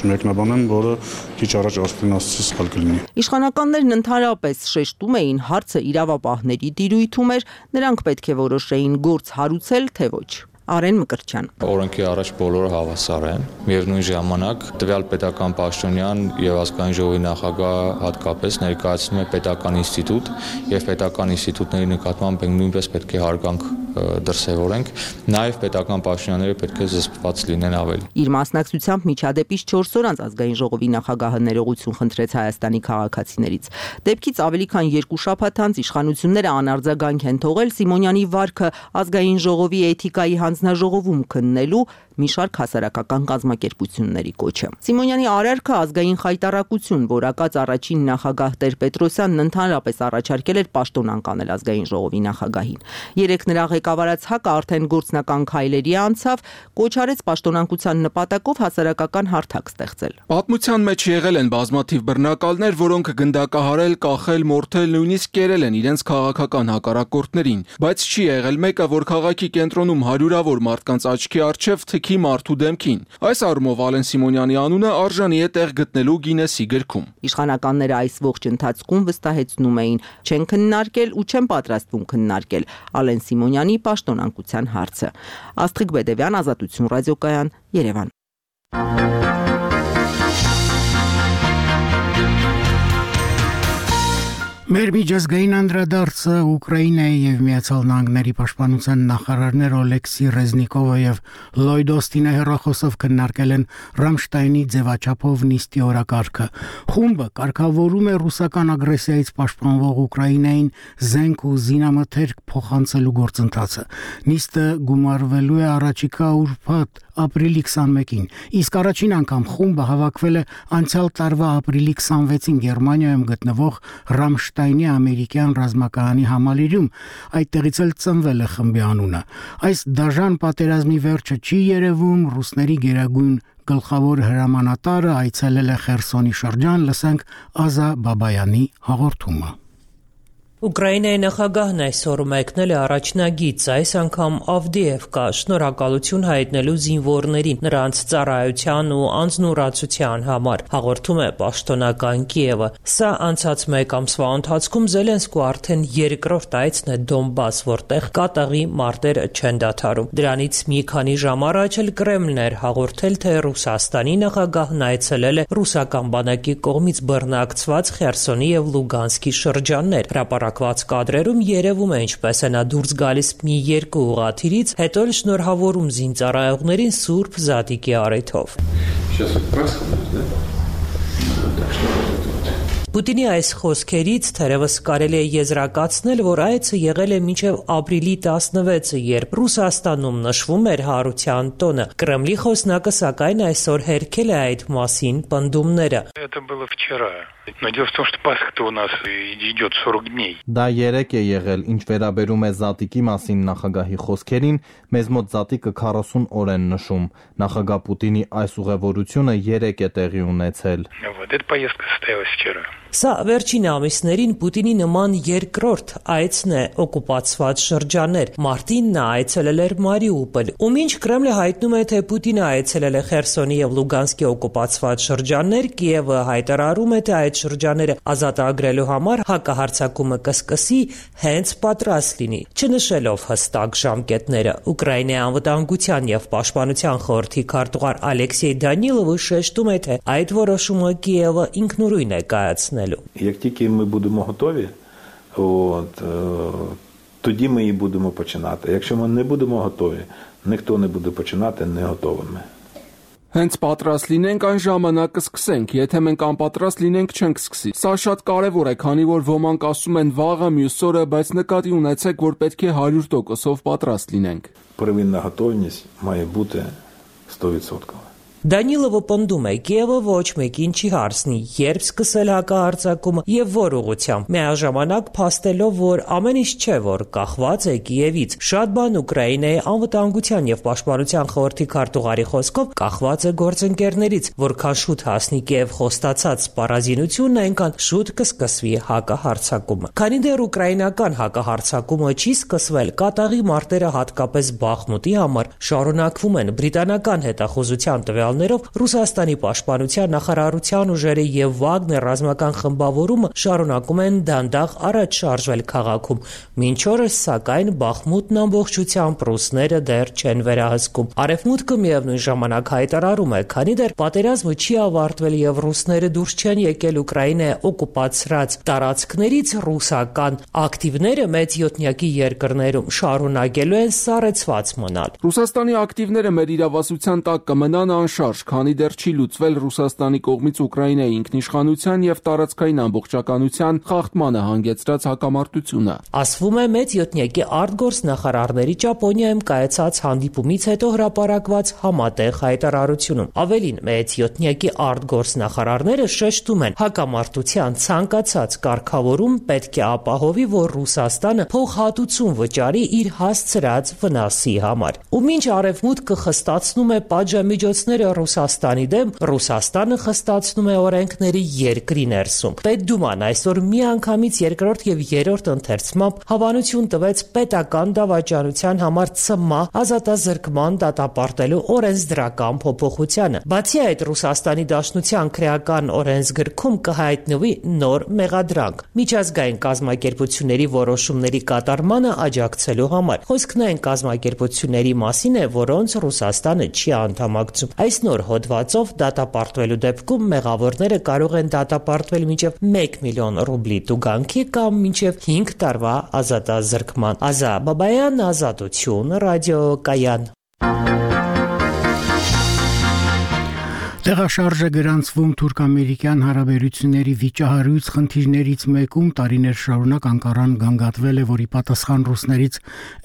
չմեկնաբանեմ, որը քիչ առաջ արդեն ասացի սխալ կլինի։ Իշխանականներն ընդհանրապես շեշտում էին, հարցը իրավապահների տիրույթում էր, նրանք պետք է որոշեին գործ հարուցել, թե ոչ։ Արեն Մկրտչյան։ Օրենքի առաջ բոլորը հավասար են։ Միևնույն ժամանակ տվյալ պետական պաշտոնյան եւ ազգային ժողովի նախագահ հատկապես ներկայացնում է պետական ինստիտուտ եւ պետական ինստիտուտների նկատմամբ նույնպես պետք է հարգանք դրսևորենք, նաեւ պետական պաշտոնյաները պետք է զսպված լինեն ավելի։ Իր մասնակցությամբ միջադեպից չորս օր անց ազգային ժողովի նախագահը ներողություն խնդրեց Հայաստանի քաղաքացիներից։ Դեպքից ավելի քան երկու շաբաթ անց իշխանությունները անարձագանք են թողել Սիմոնյանի վարքը ազգային ժողովի էթիկայի հանձնաժողովում քննելու մի շարք հասարակական կազմակերպությունների կոչը։ Սիմոնյանի արարքը ազգային խայտառակություն, որակած առաջին նախագահ Տեր-Պետրոսյանն ընդհանրապես առաջարկել էր պաշտոնանկ անել ազգային ժողովի նախագահին։ Երեք նրա ղեկավարած ՀԱԿ-ը արդեն գործնական քայլերի անցավ, կոչ արեց պաշտոնանկության նպատակով հասարակական հարթակ ստեղծել։ Պատմության մեջ եղել են բազմաթիվ բռնակալներ, որոնք գնդակահարել, կախել, մորթել, նույնիսկ կերել են իրենց քաղաքական հակառակորդներին, բայց չի եղել մեկը, որ քաղաքի կենտրոնում հարյուրավոր մարդկանց աչքի առջև թքի մարդու դեմքին։ Այս առումով Ալեն Սիմոնյանի անունը արժանի է տեղ գտնելու Գինեսի գրքում։ Իշխանականները այս ողջ ընթացքում վստահեցնում էին, չեն քննարկել ու չեն պատրաստվում քննարկել Ալեն Սիմոնյանի պաշտոնանկության հարցը։ Աստղիկ Բեդևյան, Ազատություն ռադիոկայան, Երևան։ Մեր միջազգային անդրադարձը Ուկրաինայի եւ Միացյալ Նահանգների պաշտպանության նախարարներ Օլեքսի Ռեզնիկովը եւ Լոյդ Օստինը հեռախոսով քննարկել են Ռամշտայնի ձևաչափով նիստի օրակարգը։ Խումբը կարգավորում է ռուսական ագրեսիայից պաշտպանվող Ուկրաինային զենք ու զինամթերք փոխանցելու գործընթացը։ Նիստը գումարվելու է առաջիկա ուրբաթ ապրիլի քսանմեկին, իսկ առաջին անգամ խումբը հավաքվել է անցյալ տարվա ապրիլի քսանվեցին Գերմանիայում գտնվող Ռամշտայնի ամերիկյան ռազմակայանի համալիրում, այդտեղից էլ ծնվել է խմբի անունը։ Այս դաժան պատերազմի վերջը չի երևում ռուսների գերագույն Գլխավոր հրամանատարը այցելել է Խերսոնի շրջան, լսենք Ազա Բաբայանի հաղորդումը։ Ուկրաինայի նախագահն այսօր մեկնել է առաջնագիծ, այս անգամ Ավդիևկա, շնորհակալություն հայտնելու զինվորներին, նրանց ծառայության ու անձնուրացության համար, հաղորդում է պաշտոնական Կիևը։ Սա անցած մեկ ամսվա ընթացքում Զելենսկու արդեն երկրորդ այցն է Դոնբաս, որտեղ կատաղի մարտերը չեն դադարում։ Դրանից մի քանի ժամ առաջ էլ Կրեմլն էր հաղորդել, թե Ռուսաստանի նախագահն այցելել է ռուսական բանակի կողմից բռնակցված Խերսոնի եւ Լուգանսկի շրջաններ։ Հրապարակված կադրերում երևում է ինչպես է նա դուրս գալիս մի երկու ուղղաթիռից, հետո էլ շնորհավորում զինծառայողներին Սուրբ Զատիկի առիթով։ Պուտինի այս խոսքերից թերևս կարելի է եզրակացնել, որ այցը եղել է մինչև ապրիլի տասնվեցը, երբ Ռուսաստանում նշվում էր հարության տոնը։ Կրեմլի խոսնակը սակայն այսօր հերքել է այդ մասին պնդումները։ Դա երեք է եղել, ինչ վերաբերում է Զատիկի մասին նախագահի խոսքերին, մեզ մոտ Զատիկը քառասուն օր են նշում։ Նախագահ Պուտինի այս ուղևորությունը երեք է տեղի ունեցել։ Սա վերջին ամիսներին Պուտինի նման երկրորդ այցն է օկուպացված շրջաններ։ Մարտին նա այցելել էր Մարիուպոլ, ու մինչ Կրեմլը հայտնում է, թե Պուտինը այցելել է Խերսոնի եւ Լուգանսկի օկուպացված շրջաններ, Կիևը հայտարարում է, թե այդ շրջանները ազատագրելու համար հակահարձակումը կսկսի հենց պատրաստ լինի, չնշելով հստակ ժամկետները։ Ուկրաինայի անվտանգության եւ պաշտպանության խորհրդի քարտուղար Ալեքսեյ Դանիլովը շեշտում է, թե այդ որոշումը Կիևը ինքնուրույն է կայացնել. Як тільки ми будемо готові, от, тоді ми і будемо починати. Якщо ми не будемо готові, ніхто не буде починати не готовими. Հենց պատրաստ լինենք, այն ժամանակ կսկսենք, եթե մենք անպատրաստ լինենք, չենք սկսի։ Սա շատ կարևոր է, քանի որ ոմանք ասում են վաղը, մյուս օրը, բայց նկատի ունեցեք, որ պետք է հարյուր տոկոսով պատրաստ լինենք։ Первинна готовність має бути сто відсотків. Դանիլովը պնդում է, Կիևը ոչ մեկին չի հարցնի, երբ սկսել հակահարձակումը եւ որ ուղղությամբ, միաժամանակ փաստելով, որ ամեն ինչ չէ, որ կախված է Կիևից։ Շատ բան Ուկրաինայի անվտանգության եւ պաշտպանության խորհրդի քարտուղարի խոսքով կախված է գործընկերներից, որքան շուտ հասնի Կիև խոստացած սպառազինությունն, այնքան շուտ կսկսվի հակահարձակումը։ Քանի դեռ ուկրաինական հակահարձակումը չի սկսվել, կատաղի մարտերը հատկապես Բախմուտի համար շարունակվում են։ Բրիտանական հետախուզության տվյալ Ռուսաստանի պաշտպանության նախարարության ուժերը եւ Վագներ ռազմական խմբավորումը շարունակում են դանդաղ առաջ շարժվել քաղաքում։ Մինչ օրս, սակայն, Բախմուտն ամբողջությամբ ռուսները դեռ չեն վերահսկում։ Արևմուտքը միևնույն ժամանակ հայտարարում է, քանի դեռ պատերազմը չի ավարտվել եւ ռուսները դուրս չեն եկել Ուկրաինայի օկուպացրած տարածքներից, ռուսական ակտիվները մեծ յոթնյակի երկրներում շարունակելու են սառեցված մնալ։ Ռուսաստանի ակտիվները մեր իրավասության տակ կմնան անշարժ, քանի դեռ չի լուծվել Ռուսաստանի կողմից Ուկրաինայի ինքնիշխանության եւ տարածքային ամբողջականության խախտմանը հանգեցրած հակամարտությունը։ Ասվում է մեծ յոթնյակի արտգործ նախարարների Ճապոնիայում կայացած հանդիպումից հետո հրապարակված համատեղ հայտարարությունում։ Ավելին, մեծ յոթնյակի արտգործ նախարարները շեշտում են, հակամարտության ցանկացած կարգավորում պետք է ապահովի, որ Ռուսաստանը փոխհատուցում վճարի իր հասցրած վնասի համար։ Ու մինչ արևմուտքը խստացնում է պատժամիջոցները Ռուսաստանի դեմ, Ռուսաստանը խստացնում է օրենքների երկրի ներսում։ Պետդուման այսօր միանգամից երկրորդ եւ երրորդ ընթերցմամբ հավանություն տվեց պետական դավաճանության համար ՑՄԱ ազատազրկման դատապարտելու օրենսդրական փոփոխությանը։ Բացի այդ, Ռուսաստանի Դաշնության քրեական օրենսգրքում կհայտնվի նոր մեղադրանք միջազգային կազմակերպությունների որոշումների կատարմանը աջակցելու համար։ Խոսքն այն կազմակերպությունների մասին է, որոնց Ռուսաստանը չի անդամակցում։ Այս նոր հոդվածով դատապարտվելու դեպքում մեղավորները կարող են դատապարտվել մինչև մեկ միլիոն ռուբլի տուգանքի կամ մինչև հինգ տարվա ազատազրկման։ Ազա Բաբայան, Ազատություն, ռադիոկայան։ Տեղաշարժը գրանցվում թուրք-ամերիկյան հարաբերությունների վիճահարույց խնդիրներից մեկում տարիներ շարունակ Անկարան գանգատվել է, որի պատասխան ռուսներից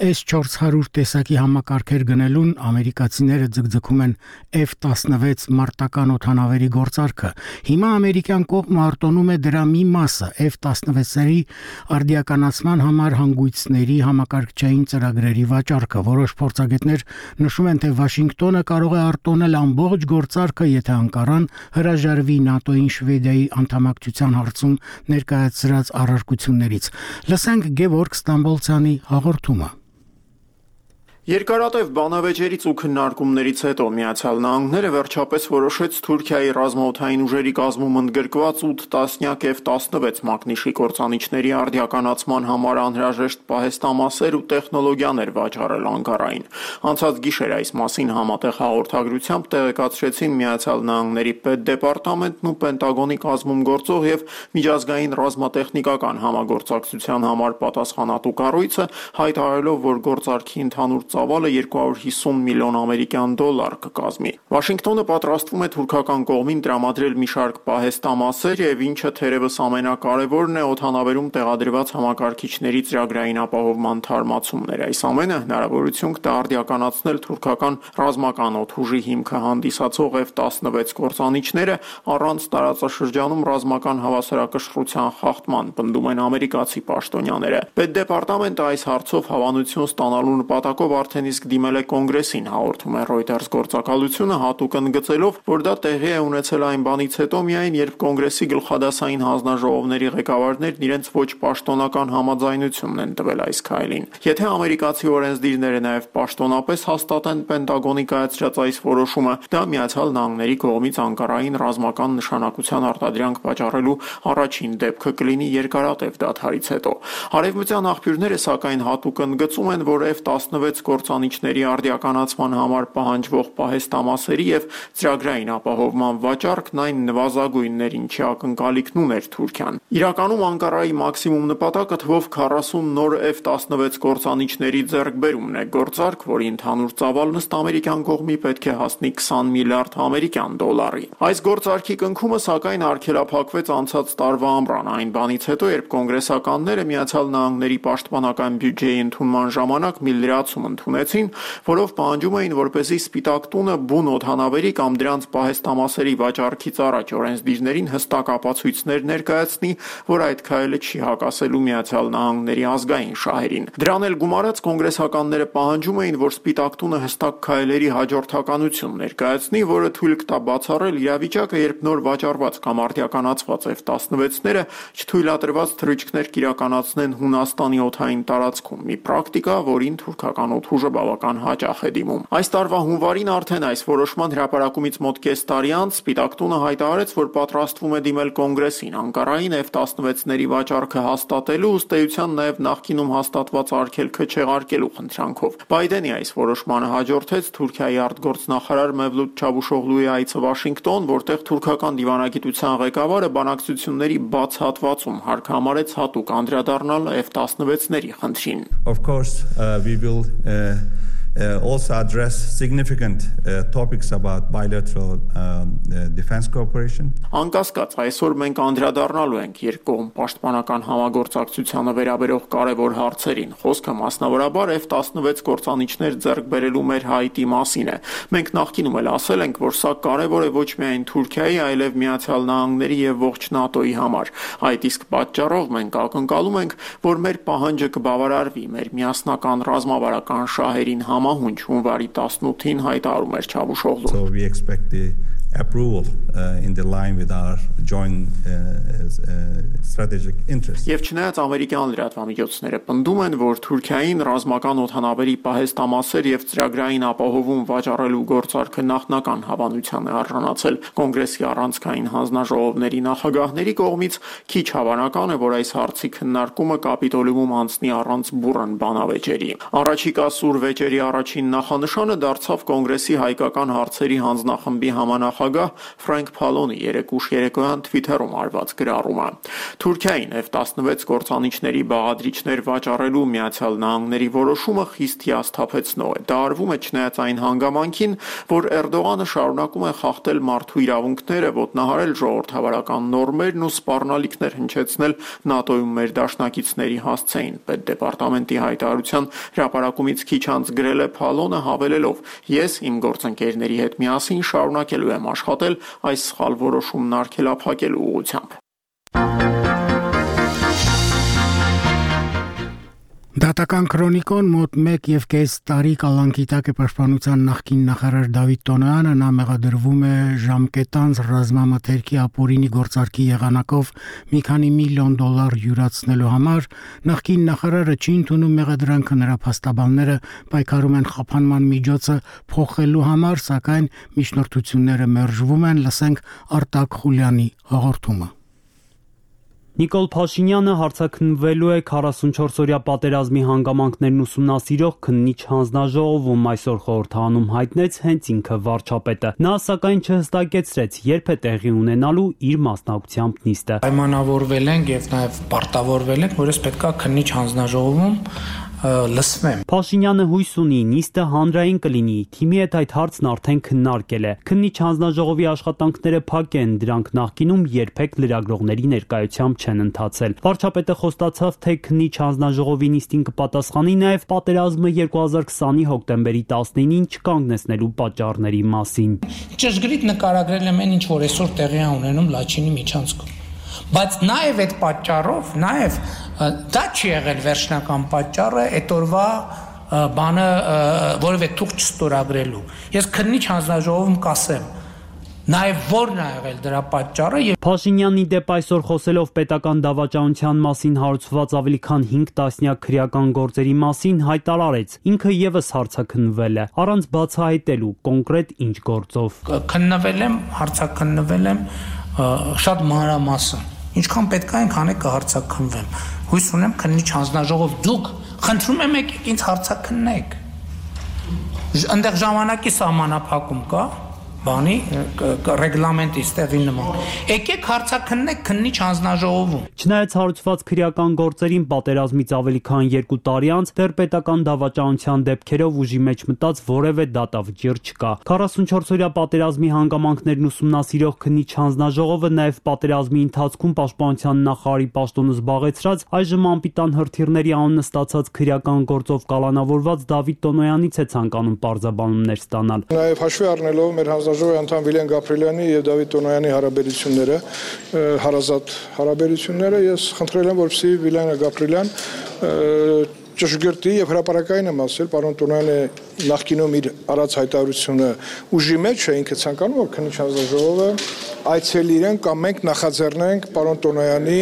էս չորս հարյուր տեսակի համակարգեր գնելուն ամերիկացիները ձգձգում են F տասնվեց մարտական օդանավերի գործարքը։ Հիմա ամերիկյան կողմը արտոնում է դրա մի մասը F տասնվեցերի արդիականացման համար հանգույցների համակարգչային ծրագրերի վաճառքը։ Որոշ փորձագետներ նշում են, թե Վաշինգտոնը կարող է արտոնել ամբողջ գործարքը, եթե Անկարան հրաժարվի ՆԱՏՕ-ին Շվեդիայի անդամակցության հարցում ներկայացրած առարկություններից։ Լսենք Գևորգ Ստամբոլցյանի հաղորդումը։ Երկարատև բանավեճերից ու քննարկումներից հետո Միացյալ Նահանգները վերջապես որոշեց Թուրքիայի ռազմաօդային ուժերի կազմում ընդգրկված ութ տասնյակ F տասնվեց մակնիշի կործանիչների արդիականացման համար անհրաժեշտ պահեստամասեր ու տեխնոլոգիաներ վաճառել Անկարային։ Անցած գիշեր այս մասին համատեղ հաղորդագրությամբ տեղեկացրեցին Միացյալ Նահանգների պետդեպարտամենտն ու Պենտագոնի կազմում գործող եւ միջազգային ռազմատեխնիկական համագործակցության համար պատասխանատու կառույցը, հայտարարելով, որ գործարքի ընդհանուր ծավալը երկու հարյուր հիսուն միլիոն ամերիկյան դոլար կկազմի։ Վաշինգտոնը պատրաստվում է թուրքական կողմին տրամադրել մի շարք պահեստամասեր եւ ինչը թերևս ամենակարևորն է օդանավերում տեղադրված համակարգիչների ծրագրային ապահովման թարմացումներ։ Այս ամենը հնարավորություն կտա արդիականացնել թուրքական ռազմական օդուժի հիմքը հանդիսացող F տասնվեց կործանիչները առանց տարածաշրջանում ռազմական հավասարակշռության խախտման, պնդում են ամերիկացի պաշտոնյաները։ Պետդեպարտամենտը այս հարցով հավանություն ստանալու նպատակով արդեն իսկ դիմել է կոնգրեսին, հաղորդում է Reuters գործակալությունը, հատուկ ընդգծելով, որ դա տեղի է ունեցել այն բանից հետո միայն, երբ կոնգրեսի գլխադասային հանձնաժողովների ղեկավարներն իրենց ոչ պաշտոնական համաձայնությունն են տվել այս քայլին։ Եթե ամերիկացի օրենսդիրները նաև պաշտոնապես հաստատեն Պենտագոնի կայացրած այս որոշումը, դա Միացյալ Նահանգների կողմից Անկարային ռազմական նշանակության արտադրանք վաճառելու առաջին դեպքը կլինի երկարատև դադարից հետո։ Արևմտյան աղբյուրները սակայն հատուկ ընդգծում են, որ F տասնվեց կործանիչների արդիականացման համար պահանջվող պահեստամասերի եւ ծրագրային ապահովման վաճառքն այն նվազագույններ, ինչի ակնկալիքն ուներ Թուրքիան։ Իրականում Անկարայի մաքսիմում նպատակը թվով քառասուն նոր F տասնվեց կործանիչների ձեռքբերումն է, գործարք, որի ընդհանուր ծավալն ըստ ամերիկյան կողմի պետք է հասնի քսան միլիարդ ամերիկյան դոլարի։ Այս գործարքի կնքումը սակայն արգելափակվեց անցած տարվա ամռան, այն բանից հետո, երբ կոնգրեսականները Միացյալ Նահանգների պաշտպանական բյուջեի ընդունման ժամանակ մի լրացում ընդունեցին, որով պահանջում էին, որպեսզի Սպիտակ տունը բուն օդանավերի կամ դրանց պահեստամասերի վաճառքից առաջ օրենսդիրներին հստակ ապացույցներ ներկայացնի, որ այդ քայլը չի հակասելու Միացյալ Նահանգների ազգային շահերին։ Դրան էլ գումարած կոնգրեսականները պահանջում էին, որ Սպիտակ տունը հստակ քայլերի հաջորդականություն ներկայացնի, որը թույլ կտա բացառել իրավիճակը, երբ նոր վաճառված կամ արդիականացված F տասնվեցները չթույլատրված թռիչքներ կիրականացնեն Հունաստանի օդային տարածքում, մի պրակտիկա, որին թուրքական օդուժը բավական հաճախ է դիմում։ Այս տարվա հունվարին արդեն այս որոշման հրապարակումից մոտ կես տարի անց Սպիտակ տունը հայտարարեց, որ պատրաստվում է դիմել կոնգրեսին Անկարային F տասնվեցների վաճառքը հաստատելու, ըստ էության նաև նախկինում հաստատված արգելքը չեղարկելու խնդրանքով։ Բայդենի այս որոշմանը հաջորդեց Թուրքիայի արտգործնախարար Մևլութ Չավուշօղլուի այցը Վաշինգտոն, որտեղ թուրքական դիվանագիտության ղեկավարը բանակցությունների բաց հատվածում հարկ համարեց հատուկ անդրադառնալ F տասնվեցների խնդրին։ Of course, uh, we will uh, uh, also address significant uh, topics about bilateral uh, uh, defense cooperation. Անկասկած, այսօր մենք անդրադառնալու ենք երկկողմ պաշտպանական համագործակցությանը վերաբերող կարևոր հարցերին։ Խոսքը մասնավորաբար F տասնվեց կործանիչներ ձեռք բերելու մեր հայտի մասին է։ Մենք նախկինում էլ ասել ենք, որ սա կարևոր է ոչ միայն Թուրքիայի, այլև Միացյալ Նահանգների եւ ողջ ՆԱՏՕ-ի համար։ Այդ իսկ պատճառով մենք ակնկալում ենք, որ մեր պահանջը կբավարարվի մեր միասնական ռազմավարական շահերին համահունչ հունվարի տասնութին հայտարարում էր Չավուշօղլուն։ So we expect the approval uh, in the line with our joint uh, uh, strategic interests. Եվ չնայած ամերիկյան լրատվամիջոցները պնդում են, որ Թուրքիային ռազմական օդանավերի պահեստամասեր եւ ծրագրային ապահովում վաճառելու գործարքը նախնական հավանության է արժանացել կոնգրեսի առանցքային հանձնաժողովների նախագահների կողմից, քիչ հավանական է, որ այս հարցի քննարկումը կապիտոլիումում անցնի առանց բուռն բանավեճերի։ Առաջիկա սուր վեճերի առաջին նախանշանը դարձավ կոնգրեսի հայկական հարցերի հանձնախմբի համանախ նախագահ Ֆրանկ Փալոնի երեկ ուշ երեկոյան Twitter-ում արված գրառումը։ Թուրքիային F տասնվեց գործանիչների բաղադրիչներ վաճառելու Միացյալ Նահանգների որոշումը խիստ հիասթափեցնող է։ Դա արվում է չնայած այն հանգամանքին, որ Էրդողանը շարունակում է խախտել մարդու իրավունքները, ոտնահարել ժողովրդավարական նորմերն ու սպառնալիքներ հնչեցնել ՆԱՏՕ-ում մեր դաշնակիցների հասցեին։ Պետդեպարտամենտի հայտարարության հրապարակումից քիչ անց գրել է Փալոնը հավելելով. «Ես իմ գործընկերների հետ միասին շարունակելու եմ աշխատել այս սխալ որոշումն արգելափակելու ուղղությամբ»։ Դատական քրոնիկոն մոտ մեկ եւ կես տարի կալանքի տակ է պաշտպանության նախկին նախարար Դավիթ Տոնոյանը, նա մեղադրվում է ժամկետանց ռազմամթերքի ապօրինի գործարքի եղանակով մի քանի միլիոն դոլար յուրացնելու համար։ Նախկին նախարարը չի ընդունում մեղադրանքը, նրա փաստաբանները պայքարում են խափանման միջոցը փոխելու համար, սակայն միջնորդությունները մերժվում են։ Լսենք Արտակ Խուլյանի հաղորդումը։ Նիկոլ Փաշինյանը հարցաքննվելու է քառասունչորսօրյա պատերազմի հանգամանքներն ուսումնասիրող քննիչ հանձնաժողովում, այսօր խորհրդարանում հայտնեց հենց ինքը վարչապետը։ Նա սակայն չհստակեցրեց, երբ է տեղի ունենալու իր մասնակցությամբ նիստը։ Պայմանավորվել ենք եւ նաեւ պարտավորվել ենք, որ ես պետքա քննիչ հանձնաժողովում լսվեմ։ Փաշինյանը հույս ունի նիստը հանրային կլինի, թիմի հետ այդ հարցն արդեն քննարկել է։ Քննիչ հանձնաժողովի աշխատանքները փակ են, դրանք նախկինում երբեք լրագրողների ներկայությամբ չեն ընթացել։ Վարչապետը խոստացավ, թե քննիչ հանձնաժողովի նիստին կպատասխանի նաև պատերազմը երկու հազար քսանի հոկտեմբերի տասնինին չկանգնեցնելու պատճառների մասին։ Ճշգրիտ նկարագրել եմ այն, ինչ որ այսօր տեղի է ունենում Լաչինի միջանցքում։ Բայց նաև այդ պատճառով, նաև դա չի եղել վերջնական պատճառը այդ օրվա բանը որևէ թուղթ չստորագրելու։ Ես քննիչ հանձնաժողովում կասեմ, նաև որն է եղել դրա պատճառը։ Փաշինյանի դեպ այսօր խոսելով պետական դավաճանության մասին հարուցված ավելի քան հինգ տասնյակ քրեական գործերի մասին հայտարարեց, ինքը եւս հարցաքննվել է, առանց բացահայտելու կոնկրետ ինչ գործով։ Քննվել եմ, հարցաքննվել եմ շատ մանրամասն։ Ինչքան պետք է այնքան է կհարցաքննվեմ։ Հույս ունեմ քննիչ հանձնաժողով դուք խնդրում եմ եկեք ինձ հարցաքննեք։ Այնտեղ ժամանակի սահմանափակում կա, բանի ռեգլամենտի ստեղի նման։ Եկեք հարցաքննեք քննիչ հանձնաժողովում։ Չնայած հարուցված քրեական գործերին պատերազմից ավելի քան երկու տարի անց դեռ պետական դավաճանության դեպքերով ուժի մեջ մտած որևէ դատավճիռ չկա։ քառասունչորսօրյա պատերազմի հանգամանքներն ուսումնասիրող քննիչ հանձնաժողովը նաև պատերազմի ընթացքում պաշտպանության նախարարի պաշտոնը զբաղեցրած այժմ անպիտան հրթիռների անունը ստացած քրեական գործով կալանավորված Դավիթ Տոնոյանից է ցանկանում պարզաբանումներ ստանալ։ Նաև հաշվի առնելով մեր հանձնաժողովի անդամ Վիլեն Գաբրիելյանի եւ Դավիթ Տոնոյանի հարաբերությունները, հարազատ հարաբերությունները, ես խնդրել եմ, որպեսզի Վիլեն Գաբրիելյան ճշգրտի եւ հրապարակային եմ ասել, պարոն Տոնոյանը նախկինում իր արած հայտարարությունը ուժի մեջ է, ինքը ցանկանում որ քննիչ հանձնաժողովը այցելի իրեն կամ մենք նախաձեռնենք պարոն Տոնոյանի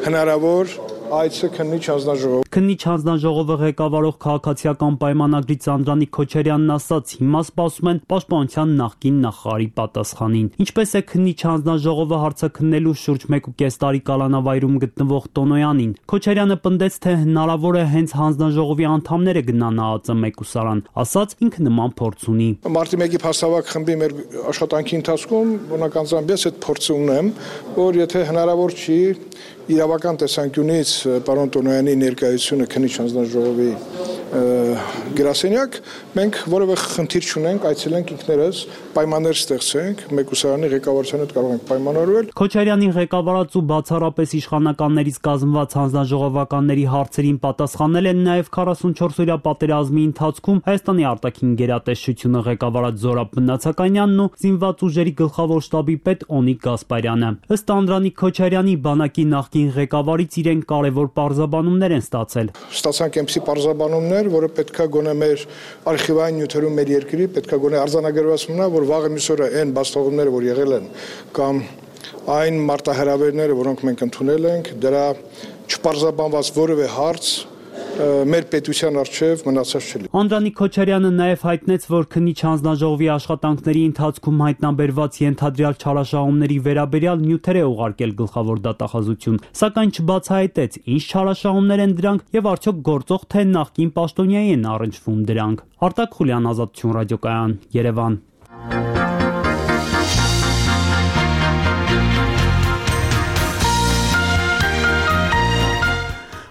հնարավոր այցը քննիչ հանձնաժողով։ Քննիչ հանձնաժողովը ղեկավարող քաղաքացիական պայմանագրի Սանդրանիկ Քոչարյանն ասաց, հիմա սպասում են պաշտպանության նախկին նախարարի պատասխանին։ Ինչպես է քննիչ հանձնաժողովը հարցաքննելու շուրջ մեկ ու կես տարի կալանավայրում գտնվող Տոնոյանին։ Քոչարյանը պնդեց, թե հնարավոր է հենց հանձնաժողովի անդամները գնան ԱԱԾ մեկուսարան, ասաց ինքը նման փորձ ունի։ Մարտի մեկի փաստավակ խմբի մեր աշխատանքի ընթացքում բնականաբար ես այդ փորձը ունեմ, որ եթե հնարավոր չի իրավական տեսանկյունից պարոն Տոնոյանի ներկայությունը քննիչ հանձնաժողովի գրասենյակ, մենք որևէ խնդիր չունենք, այցելենք ինքներս, պայմաններ ստեղծենք, մեկուսարանի ղեկավարության հետ կարող ենք պայմանավորվել։ Քոչարյանի ղեկավարած ու բացառապես իշխանականներից կազմված հանձնաժողովականների հարցերին պատասխանել են նաև քառասունչորսօրյա պատերազմի ընթացքում Հայաստանի արտաքին գերատեսչությունը ղեկավարած Զորաբ Մնացականյանն ու զինված ուժերի գլխավոր շտաբի պետ Օնիկ Գասպարյանը։ Ըստ Անդրանիկ Քոչարյանի բանակի նախկին ղեկավարից իրեն կարևոր պարզաբանումներ են ստացել։ Ստացանք այնպիսի պարզաբանումներ, որը պետքա գոնե մեր արխիվային նյութերում մեր երկրի պետքա գոնե արձանագրված մնա, որ վաղը մյուս օրը այն բաստողումները, որ եղել են, կամ այն մարտահրավերները, որոնք մենք ընդունել ենք, դրա չպարզաբանված որևէ հարց մեր պետության արչև մնացած չլի։ Անդրանիկ Քոչարյանը նաև հայտնեց, որ քննիչ հանձնաժողովի աշխատանքների ընթացքում հայտնաբերված ենթադրյալ չարաշահումների վերաբերյալ նյութեր է ուղարկել գլխավոր դատախազություն, սակայն չբացահայտեց ինչ չարաշահումներ են դրանք եւ արդյոք գործող թե նախկին պաշտոնյայի են առնչվում դրանք։ Արտակ Խուլյան, Ազատություն ռադիոկայան, Երևան։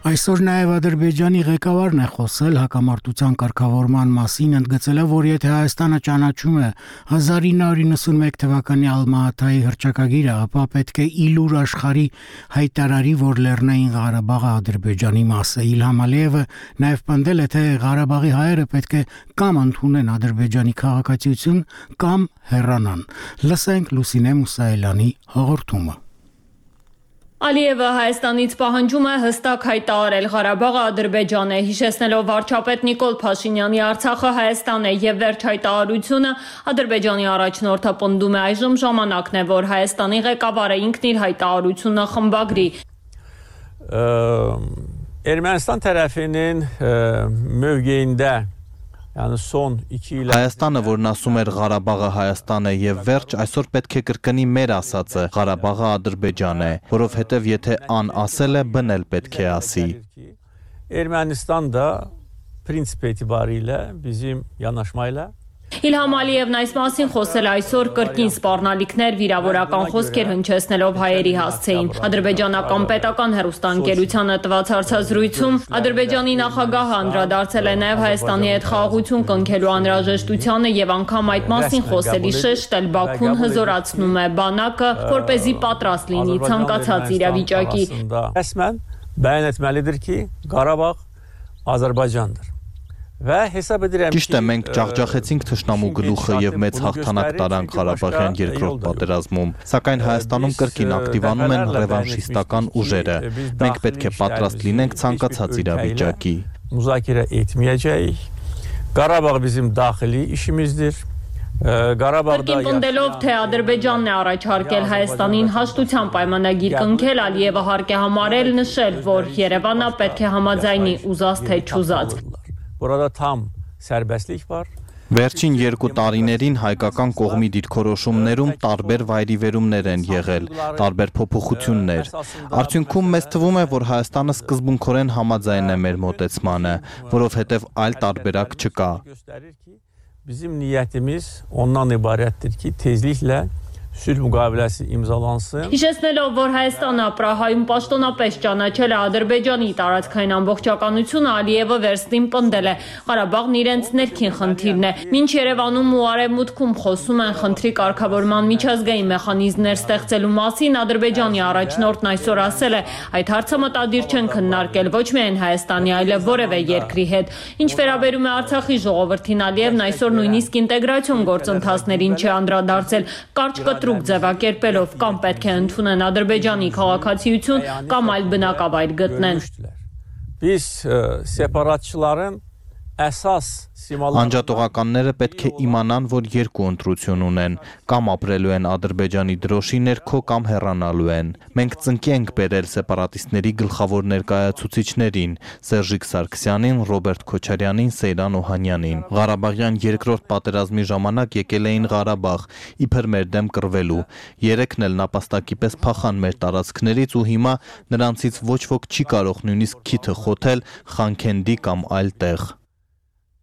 Այսօր նաև Ադրբեջանի ղեկավարն է խոսել հակամարտության կարգավորման մասին, ընդգծելով, որ եթե Հայաստանը ճանաչում է հազար ինը հարյուր նվաթ թվականի Ալմա-Աթայի հռչակագիրը, ապա պետք է իլուր աշխարհի հայտարարի, որ Լեռնային Ղարաբաղը Ադրբեջանի մաս է։ Իլհամ Ալիևը նաև պնդել է, թե Ղարաբաղի հայերը պետք է կամ ընդունեն Ադրբեջանի քաղաքացիություն, կամ հեռանան։ Լսենք Լուսինե Մուսայելյանի հաղորդումը։ Ալիևը Հայաստանից պահանջում է հստակ հայտարարել Ղարաբաղը Ադրբեջան է, հիշեցնելով վարչապետ Նիկոլ Փաշինյանի Արցախը Հայաստան է եւ վերջ հայտարարությունը Ադրբեջանի առաջնորդը պնդում է այժմ ժամանակն է, որ Հայաստանի ղեկավարը ինքն իր հայտարարությունը խմբագրի։ Ermənistan tərəfinin mövqeyində Yəni son iki il Հայաստանը, որն ասում էր Ղարաբաղը Հայաստան է եւ վերջ, այսօր պետք է կրկնի մեր ասածը՝ Ղարաբաղը Ադրբեջան է, որովհետեւ եթե ան ասել է, բնել պետք է ասի։ Ermənistan da prinsip etibarilə bizim yanaşmayla Իլհամ Ալիևն այս մասին խոսել այսօր կրկին սպառնալիքներ վիրավորական խոսքեր հնչեցնելով հայերի հասցեին։ Ադրբեջանական պետական հեռուստաընկերությանը տված հարցազրույցում Ադրբեջանի նախագահը անդրադարձել է նաև Հայաստանի հետ խաղաղություն կնքելու անհրաժեշտությանը եւ անգամ այդ մասին խոսելի շեշտել Բաքուն հզորացնում է բանակը, որպեսզի պատրաստ լինի ցանկացած իրավիճակի։ Ռəsmən bəyan etməlidir ki, Qarabağ Azərbaycandır։ Ճիշտ է, մենք ջախջախեցինք թշնամու գլուխը եւ մեծ հաղթանակ տարանք Ղարաբաղյան երկրորդ պատերազմում, սակայն Հայաստանում կրկին ակտիվանում են ռևանշիստական ուժերը։ Մենք պետք է պատրաստ լինենք ցանկացած իրավիճակի։ Müzakirə etməyəcəyik. Qarabağ bizim daxili işimizdir. Կրկին պնդելով, թե Ադրբեջանն է առաջարկել Հայաստանին հաշտության պայմանագիր կնքել, Ալիևը հարկ է համարել նշել, որ Երևանը պետք է համաձայնի ուզած թե չուզած։ Burada tam serbestlik var. Վերջին երկու տարիներին հայկական կողմի դիրքորոշումներում տարբեր վայրիվերումներ են եղել, տարբեր փոփոխություններ։ Արդյունքում մեզ թվում է, որ Հայաստանը սկզբունքորեն համաձայն է մեր մոտեցմանը, որովհետև այլ տարբերակ չկա։ Bizim niyetimiz ondan ibarətdir ki, tezliklə sülh müqaviləsi imzalansın։ Հիշեցնելով, որ Հայաստանը Պրահայում պաշտոնապես ճանաչել է Ադրբեջանի տարածքային ամբողջականությունը, Ալիևը վերստին պնդել է, Ղարաբաղն իրենց ներքին խնդիրն է։ Մինչ Երևանում ու Արևմուտքում խոսում են խնդրի կարգավորման միջազգային մեխանիզմներ ստեղծելու մասին, Ադրբեջանի առաջնորդն այսօր ասել է, այդ հարցը մտադիր չեն քննարկել ոչ միայն Հայաստանի, այլև որևէ երկրի հետ։ Ինչ վերաբերում է Արցախի ժողովրդին, Ալիևն այսօր նույնիսկ ինտեգրացիոն գործընթացներին չի անդրադարձել, կարճ կտրուկ ձևակերպելով կամ պետք է ընդունեն Ադրբեջանի քաղաքացիություն կամ այլ բնակավայր գտնեն։ Biz separatçıların əsas Անջատողականները պետք է իմանան, որ երկու ընտրություն ունեն, կամ ապրելու են Ադրբեջանի դրոշի ներքո, կամ հեռանալու են։ Մենք ծնկի ենք բերել սեպարատիստների գլխավոր ներկայացուցիչներին՝ Սերժիկ Սարգսյանին, Ռոբերտ Քոչարյանին, Սեյրան Օհանյանին։ Ղարաբաղյան երկրորդ պատերազմի ժամանակ եկել էին Ղարաբաղ, իբր մեր դեմ կռվելու։ Երեքն էլ նապաստակի պես փախան մեր տարածքներից ու հիմա նրանցից ոչ ոք չի կարող նույնիսկ քիթը խոթել Խանքենդի կամ այլ տեղ։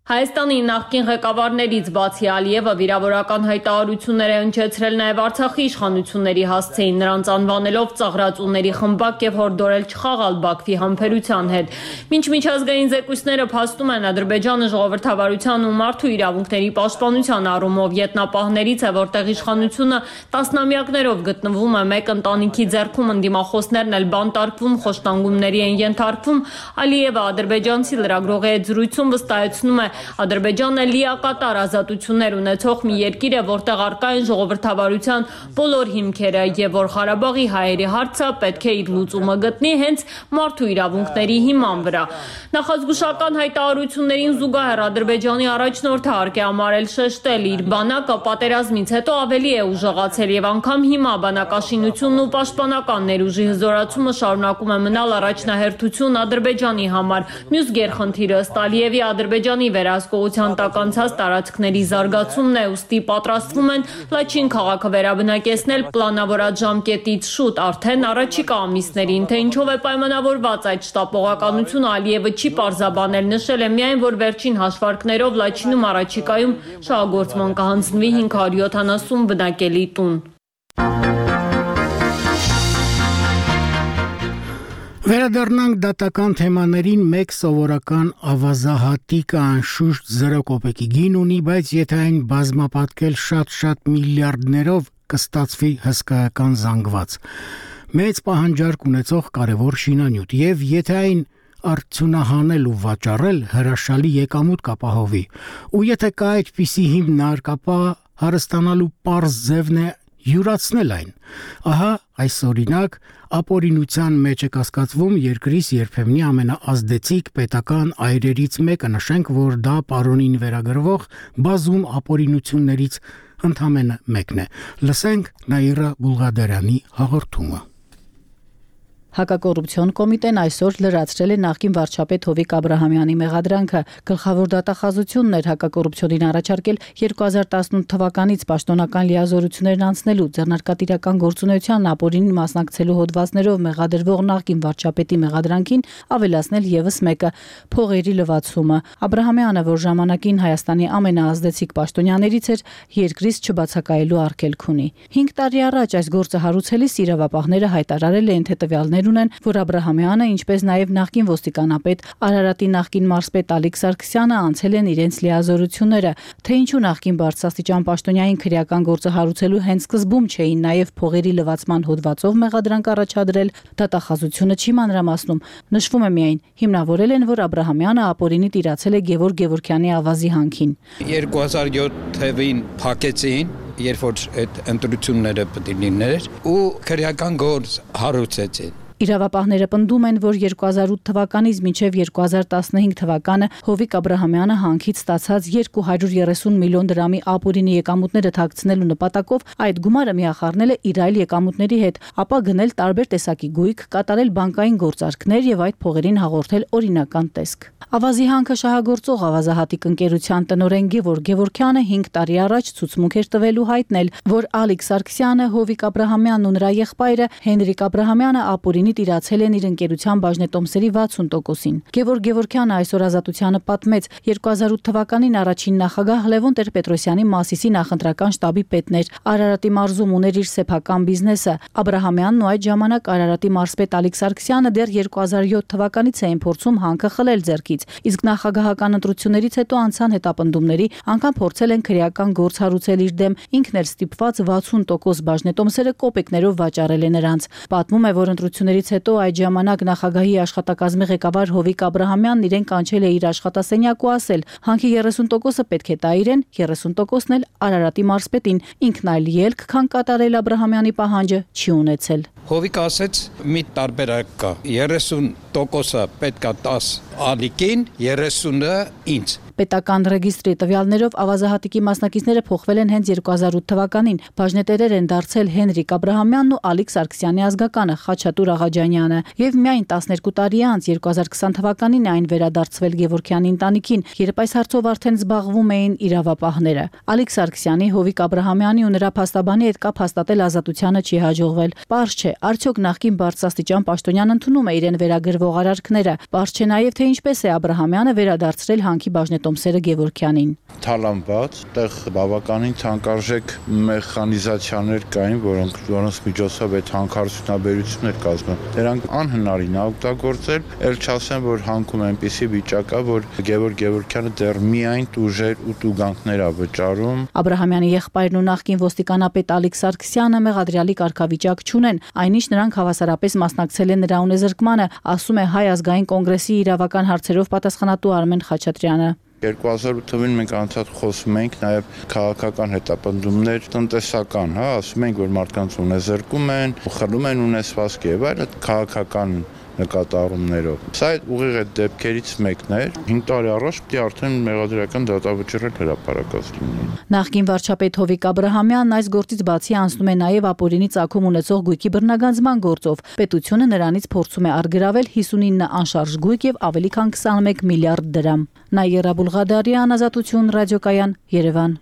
Հայաստանի նախկին ղեկավարներից բացի Ալիևը վիրավորական հայտարարություններ է հնչեցրել նաև Արցախի իշխանությունների հասցեին, նրանց անվանելով ծաղրածուների խմբակ եւ հորդորել չխաղալ Բաքվի համբերության հետ։ Մինչ միջազգային զեկույցները փաստում են Ադրբեջանը ժողովրդավարության ու մարդու իրավունքների պաշտպանության առումով ետնապահներից է, որտեղ իշխանությունը տասնամյակներով գտնվում է մեկ ընտանիքի ձեռքում, ընդդիմախոսներն էլ բանտարկվում, խոշտանգումների են ենթարկվում, Ալիևը ադրբեջանցի լրագրողի հետ զրույցում վստահեցնում է, Ադրբեջանը լիակատար ազատություններ ունեցող մի երկիր է, որտեղ առկա են ժողովրդավարության բոլոր հիմքերը եւ որ Ղարաբաղի հայերի հարցը պետք է իր լուծումը գտնի հենց մարդու իրավունքների հիման վրա։ Նախազգուշական հայտարարություններին զուգահեռ Ադրբեջանի առաջնորդը հարկ է համարել շեշտել իր բանակը պատերազմից հետո ավելի է ուժեղացել եւ անգամ հիմա բանակաշինությունն ու պաշտպանական ներուժի հզորացումը շարունակում է մնալ առաջնահերթություն Ադրբեջանի համար։ Մյուս գերխնդիրը ըստ Ալիևի Ադրբեջանի վերահսկողության տակ անցած տարածքների զարգացումն է, ուստի պատրաստվում են Լաչին քաղաքը վերաբնակեցնել պլանավորած ժամկետից շուտ, արդեն առաջիկա ամիսներին, թե ինչով է պայմանավորված այդ շտապողականությունը Ալիևը չի պարզաբանել, նշել է միայն, որ վերջին հաշվարկներով Լաչինում առաջիկայում շահագործման կհանձնվի հինգ հարյուր յոթանասուն բնակելի տուն։ Վերադառնանք դատական թեմաներին, մեկ սովորական ավազահատիկը անշուշտ զրո կոպեկի գին ունի, բայց եթե այն բազմապատկել շատ-շատ միլիարդներով կստացվի հսկայական զանգված։ Մեծ պահանջարկ ունեցող կարևոր շինանյութ, եւ եթե այն արդյունահանել ու վաճառել, հրաշալի եկամուտ կապահովի։ Ու եթե կա այդպիսի հիմնարկ, ապա հարստանալու պարզ ձևն է յուրացնել այն։ Ահա այս օրինակ ապօրինության մեջ է կասկածվում երկրիս երբեմնի ամենաազդեցիկ պետական այրերից մեկը, նշենք, որ դա պարոնին վերագրվող բազում ապօրինություններից ընդամենը մեկն է։ Լսենք Նաիրա Բուլղադարյանի հաղորդումը։ Հակակոռուպցիոն կոմիտեն այսօր լրացրել է նախկին վարչապետ Հովիկ Աբրահամյանի մեղադրանքը։ Գլխավոր դատախազությունն էր հակակոռուպցիոնին առաջարկել երկու հազար տասնութ թվականից պաշտոնական լիազորություններն անցնելու, ձեռնարկատիրական գործունեության ապօրինին մասնակցելու հոդվածներով մեղադրվող նախկին վարչապետի մեղադրանքին ավելացնել եւս մեկը՝ փողերի լվացումը։ Աբրահամյանը, որ ժամանակին Հայաստանի ամենաազդեցիկ պաշտոնյաներից էր, երկրից չբացակայելու արգելք ունի։ Հինգ տարի առաջ այս գործը հարուցելիս իրավապահները հայտարարել էին, թե տվյալներ ունեն, որ Աբրահամյանը, ինչպես նաև նախկին ոստիկանապետ Արարատի նախկին մարզպետ Ալիկ Սարգսյանը անցել են իրենց լիազորությունները, թե ինչու նախկին բարձրաստիճան պաշտոնյային քրեական գործը հարուցելու հենց սկզբում չէին նաև փողերի լվացման հոդվածով մեղադրանք առաջադրել, դատախազությունը չի մանրամասնում։ Նշվում է միայն, հիմնավորել են, որ Աբրահամյանը ապօրինի տիրացել է Գևորգ Գևորգյանի ավազի հանքին։ երկու հազար յոթ թվականին փակեցին, երբ որ այդ ընտրությունները պետք է լիներ, ու քրեական գործ հարուցեցին։ Իրավապահները պնդում են, որ երկու հազար ութ թվականից մինչև երկու հազար տասնհինգ թվականը Հովիկ Աբրահամյանը հանքից ստացած երկու հարյուր երեսուն միլիոն դրամի ապօրինի եկամուտները թաքցնելու նպատակով այդ գումարը միախառնել է իր այլ եկամուտների հետ, ապա գնել տարբեր տեսակի գույք, կատարել բանկային գործարքներ եւ այդ փողերին հաղորդել օրինական տեսք։ Ավազի հանքը շահագործող ավազահատիկ ընկերության տնօրեն Գևորգ Գևորգյանը հինգ տարի առաջ ցուցմունք էր տվելու հայտնել, որ Ալիկ Սարգսյանը, Հովիկ Աբրահամյանն ու նրա եղբայրը Հենրիկ Աբրահամյանը ապօրինի տիրացել են իր ընկերության բաժնետոմսերի վաթսուն տոկոսին։ Գևորգ Գևորգյանը այսօր Ազատությանը պատմեց, երկու հազար ութ թվականին առաջին նախագահ Լևոն Տեր-Պետրոսյանի Մասիսի նախընտրական շտաբի պետն էր, Արարատի մարզում ուներ իր սեփական բիզնեսը։ Աբրահամյանն ու այդ ժամանակ Արարատի մարզպետ Ալիկ Սարգսյանը դեռ երկու հազար յոթ թվականից էին փորձում հանքը խլել ձեռքից, իսկ նախագահական ընտրություններից հետո անցան հետապնդումների, անգամ փորձել են քրեական գործ հարուցել իր դեմ, ինքն էլ ստիպված վաթսուն տոկոս բաժնետոմսերը կոպեկներով վաճառել է նրանց։ Պատմում է, որ ընտրություններից հետո այդ ժամանակ նախագահի աշխատակազմի ղեկավար Հովիկ Աբրահամյանն իրեն կանչել է իր աշխատասենյակ ու ասել. հանքի երեսուն տոկոսը պետք է տա իրեն, երեսուն տոկոսն էլ Արարատի մարզպետին, ինքն այլ ելք, քան կատարել Աբրահամյանի պահանջը չի ունեցել։ Հովիկ ասեց՝ մի տարբերակ կա, երեսուն տոկոսը պետք է տաս Ալիկին, երեսունը ինձ։ Պետական ռեգիստրի տվյալներով ավազահատիկի մասնակիցները փոխվել են հենց երկու հազար ութ թվականին։ Բաժնետերեր են դարձել Հենրիկ Աբրահամյանն ու Ալիկ Սարգսյանի ազգականը Խաչատուր Աղաջանյանը, եւ միայն տասներկու տարի անց երկու հազար քսան թվականին այն վերադարձվել Գևորգյանի ընտանիքին, երբ այս հարցով արդեն զբաղվում էին իրավապահները։ Ալիկ Սարգսյանի, Հովիկ Աբրահամյանի ու նրա փաստաբանի հետ կապ հաստատել Ազատությանը չի հաջողվել։ Պարզ չէ, արդյոք նախկին բարձրաստիճան պաշտոնյան ընդունում է իրեն վերագրվող արարքները։ Պարզ չէ նաեւ, թե ինչպես է Աբրահամյանը վերադարձրել հանքի բաժնետոմսերը Գևորգյանին։ Թալանված, այդտեղ բավականին թանկարժեք մեխանիզացիաներ կային, որոնք որոնց միջոցով այդ հանքարդյունաբերությունն էր կազմում։ Դրանք անհնարին է օգտագործել, ել չասեմ, որ հանքում այնպիսի վիճակ է, որ Գևորգ Գևորգյանը դեռ միայն տուժեր ու տուգանքներ է վճարում։ Աբրահամյանի եղբայրն ու նախկին ոստիկանապետ Ալիկ Սարգսյանը մեղադրյալի կարգավիճակ չունեն, այնինչ նրանք հավասարապես մասնակցել են նրա ունեզրկմանը, ասում է Հայ ազգային կոնգրեսի իրավական հարցերով պատասխանատու Արմեն Խաչատրյանը։ երկու հազար ութ թվականին մենք անցած խոսում ենք նաև քաղաքական հետապնդումներ, տնտեսական, հա, ասում ենք, որ մարդկանց ունեզրկում են, խլում են ունեցվածքը եւ այլն, քաղաքական նկատառումներով։ Սա այդ ուղիղ այդ դեպքերից մեկն էր։ հինգ տարի առաջ պետք է արդեն մեղադրական դատավճիռել հրապարակած լինի։ Նախկին վարչապետ Հովիկ Աբրահամյանն այս գործից բացի անցնում է նաև ապօրինի ծագում ունեցող գույքի բռնագանձման գործով։ Պետությունը նրանից փորձում է արգրավել հիսունինը անշարժ գույք եւ ավելի քան քսանմեկ միլիարդ դրամ։ Նաիրա Բուլղադարյան, Ազատություն, ռադիոկայան, Երևան։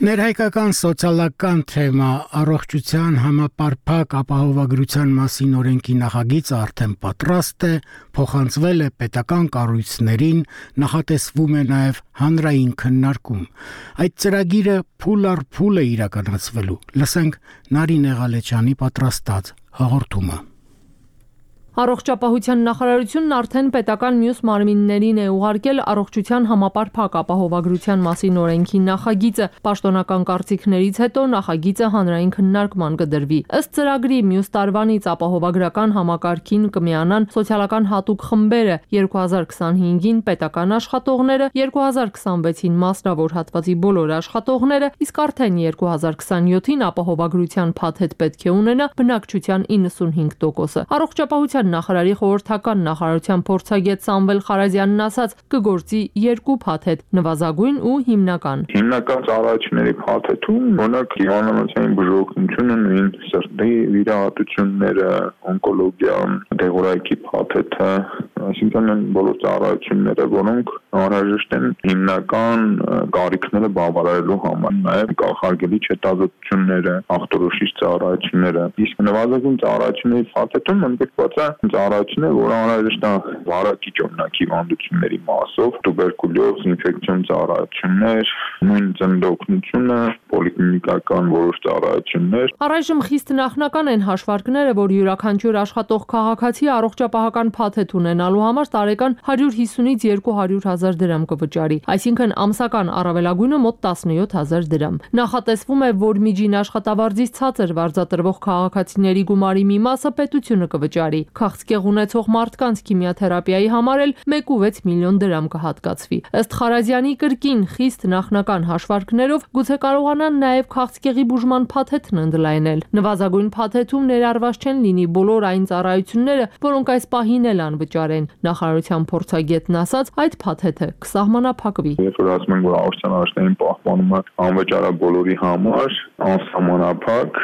Ներհայկական սոցիալական թեմա առողջության համապարփակ ապահովագրության մասին օրենքի նախագիծը արդեն պատրաստ է, փոխանցվել է պետական կառույցներին, նախատեսվում է նաև հանրային քննարկում։ Այդ ծրագիրը փուլ առ փուլ է իրականացվելու։ Լսենք Նարինե Ղալեչյանի պատրաստած հաղորդումը։ Առողջապահության նախարարությունն արդեն պետական մյուս մարմիններին է ուղարկել առողջության համապարփակ ապահովագրության մասին օրենքի նախագիծը։ Պաշտոնական կարծիքներից հետո նախագիծը հանրային քննարկման կդրվի։ Ըստ ծրագրի մյուս տարվանից ապահովագրական համակարգին կմիանան սոցիալական հատուկ խմբերը, երկու հազար քսանհինգին պետական աշխատողները, երկու հազար քսանվեցին մասնավոր հատվածի բոլոր աշխատողները, իսկ արդեն երկու հազար քսանյոթին ապահովագրության փաթեթ պետք է ունենա բնակչության իննսունհինգ տոկոսը։ Առողջապահության նախարարի խորհրդական նախարարության փորձագետ Սամվել Խարազյանն ասաց, կգործի երկու փաթեթ՝ նվազագույն ու հիմնական։ Հիմնական ծառայությունների փաթեթում օրինակ հիվանդանոցային բուժօգնությունը, նույն սրտի վիրահատությունները, օնկոլոգիան, դեղորայքի փաթեթը, այսինքն այն բոլոր ծառայությունները, որոնք անհրաժեշտ են հիմնական կարիքները բավարարելու համար, նաև կանխարգելիչ հետազոտությունները, ախտորոշիչ ծառայությունները։ Իսկ նվազագույն ծառայությունների փաթեթում ընդգրկված է ծառայություններ, որը անհրաժեշտ է վարակիչ օրինակ հիվանդությունների մասով, տուբերկուլյոզ, ինֆեկցիոն ծառայություններ, նույն ծննդօգնությունը, պոլիկլինիկական որոշ ծառայություններ։ Առայժմ խիստ նախնական են հաշվարկները, որ յուրաքանչյուր աշխատող քաղաքացի առողջապահական փաթեթ ունենալու համար տարեկան հարյուր հիսունից երկու հարյուր հազար դրամ կվճարի, այսինքն ամսական առավելագույնը մոտ տասնյոթ հազար դրամ։ Նախատեսվում է, որ միջին աշխատավարձից ցածր վարձատրվող քաղաքացիների գումարի մի մասը պետությունը կվճարի։ Քաղցկեղ ունեցող մարդկանց քիմիաթերապիայի համար էլ մեկ ու վեց միլիոն դրամ կհատկացվի։ Ըստ Խարազյանի կրկին խիստ նախնական հաշվարկներով գուցե կարողանան նաև քաղցկեղի բուժման փաթեթն ընդլայնել։ Նվազագույն փաթեթում ներառված չեն լինի բոլոր այն ծառայությունները, որոնք այս պահին էլ անվճար են։ Նախարարության փորձագետն ասաց, այդ փաթեթը կսահմանափակվի։ Երբ որ ասում ենք, որ առողջության առաջնային պահպանումը անվճար է բոլորի համար, անսահմանափակ,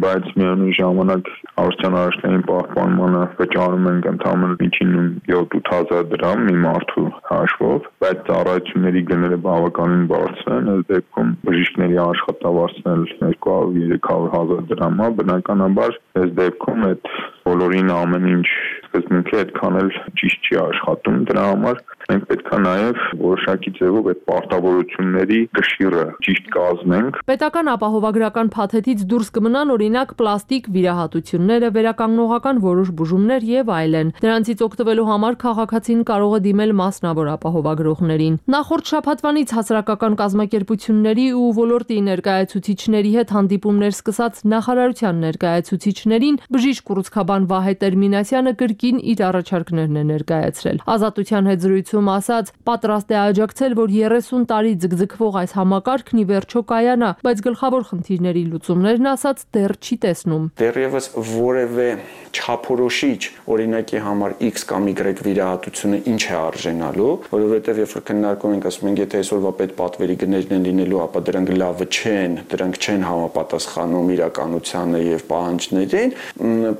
բայց միևնույն ժամանակ առողջության առաջնային պահպանմանը վճարում ենք ընդհանրապես միջինում յոթ-ութ հազար դրամ մի մարդու հաշվով, բայց ծառայությունների գները բավականին բարձր են, այս դեպքում բժիշկների աշխատավարձն էլ երկու հարյուր երեք հարյուր հազար դրամ է, բնականաբար այս դեպքում այդ բոլորին ամեն ինչ սկզբունքի այդքան էլ ճիշտ չի աշխատում, դրա համար մենք պետք է նաև որոշակի ձևով այդ պարտավորությունների կշիռը ճիշտ կազմենք։ Պետական ապահովագրական փաթեթից դուրս կմնան օրինակ պլաստիկ վիրահատությունները, վերականգնողական որոշ բուժումներ եւ այլն։ Դրանցից օգտվելու համար քաղաքացին կարող է դիմել մասնավոր ապահովագրողներին։ Նախորդ շաբաթվանից հասարակական կազմակերպությունների ու ոլորտի ներկայացուցիչների հետ հանդիպումներ սկսած նախարարության ներկայացուցիչներին բժիշկ կառուցքաբան Վահե Տերմինասյանը կրկին իր առաջարկներն է ներկայացրել։ Ազատության հետ զրույցում ասաց, պատրաստ է աջակցել, որ երեսուն տարի ձգձգվող այս համակարգն ի վերջո կայանա, բայց գլխավոր խնդիրների լուծումներն ասաց դեռ չի տեսնում։ Դեռևս որևէ չափորոշիչ օրինակի համար X կամ Y վիրահատությունը ինչ է արժենալու, որովհետև երբ որ քննարկում ենք, ասում ենք, եթե այսօրվա պետպատվերի գներն են լինելու, ապա դրանք լավը չեն, դրանք չեն համապատասխանում իրականությանը եւ պահանջներին,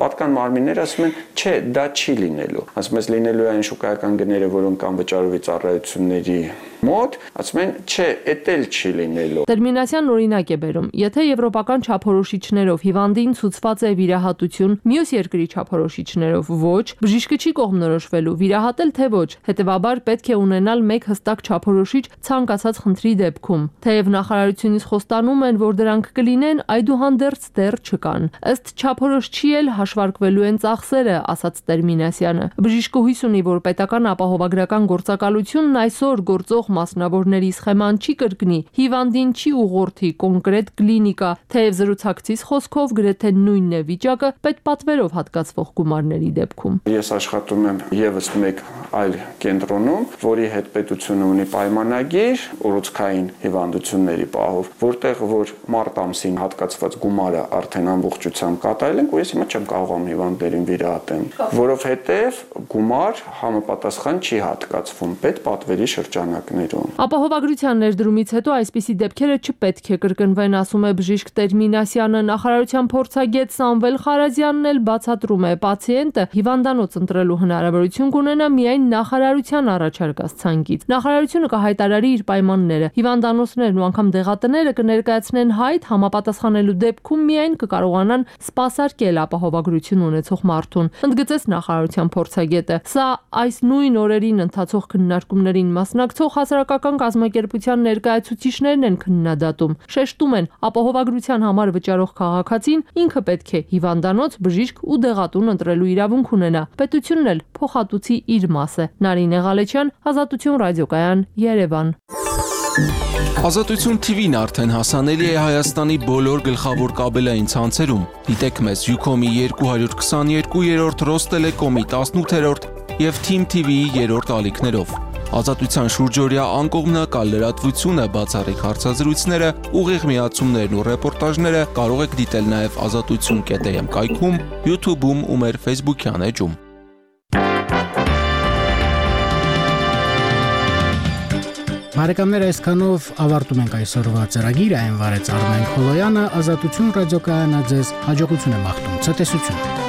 պատկան մարմինները ասում են, չէ, դա չի լինելու։ Ասում ես լինելու է այն շուկայական գները, որոնք անվճարովի ծառայությունների մոտ, ասում են, չէ, էդ էլ չի լինելու։ Տերմինասյանն օրինակ է բերում, եթե եվրոպական չափորոշիչներով հիվանդին ցուցված է վիրահատություն, մյուս երկրի չափորոշիչներով ոչ, բժիշկը չի կողմնորոշվելու վիրահատել թե ոչ, հետևաբար պետք է ունենալ մեկ հստակ չափորոշիչ ցանկացած խնդրի դեպքում։ Թեև նախարարությունից խոստանում են, որ դրանք կլինեն, այդուհանդերձ դեռ չկան։ Ըստ չափորոշչի էլ հաշվարկվելու են ծախսերը, ասաց Տերմինասյանը։ Բժիշկը հույս ունի, որ պետական ապահովագրական գործակալությունն այսօր գործող մասնավորների սխեման չի կրկնի, հիվանդին չի ուղղորդի կոնկրետ կլինիկա, թեև զրուցակցից խոսքով գրեթե նույնն է վիճակը պետպատվերով հատկացվող գումարների դեպքում։ Ես աշխատում եմ եւս մեկ այլ կենտրոնում, որի հետ պետությունը ունի պայմանագիր ուռուցքային հիվանդությունների պահով, որտեղ որ մարտ ամսին հատկացված գումարը արդեն ամբողջությամբ կատարել ենք, ու ես հիմա չեմ կարողանում հիվանդներին վիրահատեմ, որովհետև գումար համապատասխան չի հատկացվում։ վերացվում պետպատվերի շրջանակներում։ Ապահովագրության ներդրումից հետո այսպիսի դեպքերը չպետք է կրկնվեն, ասում է բժիշկ Տեր Մինասյանը։ Նախարարության փորձագետ Սամվել Խարազյանն էլ բացատրում է, պացիենտը հիվանդանոց ընտրելու հնարավորություն կունենա միայն նախարարության առաջարկած ցանկից։ Նախարարությունը կհայտարարի իր պայմանները։ Հիվանդանոցներն ու անգամ դեղատները կներկայացնեն հայտ, համապատասխանելու դեպքում միայն կկարողանան սպասարկել ապահովագրություն ունեցող մարդուն։ Ընդգծեց նախարարության փորձագետը։ Սա այս նույն օրերին ընթացող քննարկումներին մասնակցող հասարակական կազմակերպության ներկայացուցիչներն են քննադատում։ Շեշտում են, ապահովագրության համար վճարող քաղաքացին ինքը պետք է հիվանդանոց, բժիշկ ու դեղատուն ընտրելու իրավունք ունենա։ Պետությունն էլ փոխհատուցի իր մասը։ Նարինե Ղալեչյան, Ազատություն ռադիոկայան, Երևան։ Ազատություն թի վին արդեն հասանելի է Հայաստանի բոլոր գլխավոր կաբելային ցանցերում։ Դիտեք մեզ Յուքոմի երկու հարյուր քսաներկու, Ռոստելեկոմի տասնութերորդ եւ Թիմ թի վիի երրորդ ալիքներով։ Ազատության շուրջօրյա անկողմնակալ լրատվությունը, բացառիկ հարցազրույցները, ուղիղ միացումներն ու ռեպորտաժները կարող եք դիտել նաև ազատություն կետ էմ կայքում, YouTube-ում ու մեր Facebook-յան էջում։ Բարեկամներ, այսքանով ավարտում ենք այսօրվա ծրագիրը, այն վարեց Արմեն Խոլոյանը, Ազատություն ռադիոկայանը ձեզ հաջողություն է մաղթում, ցտեսություն։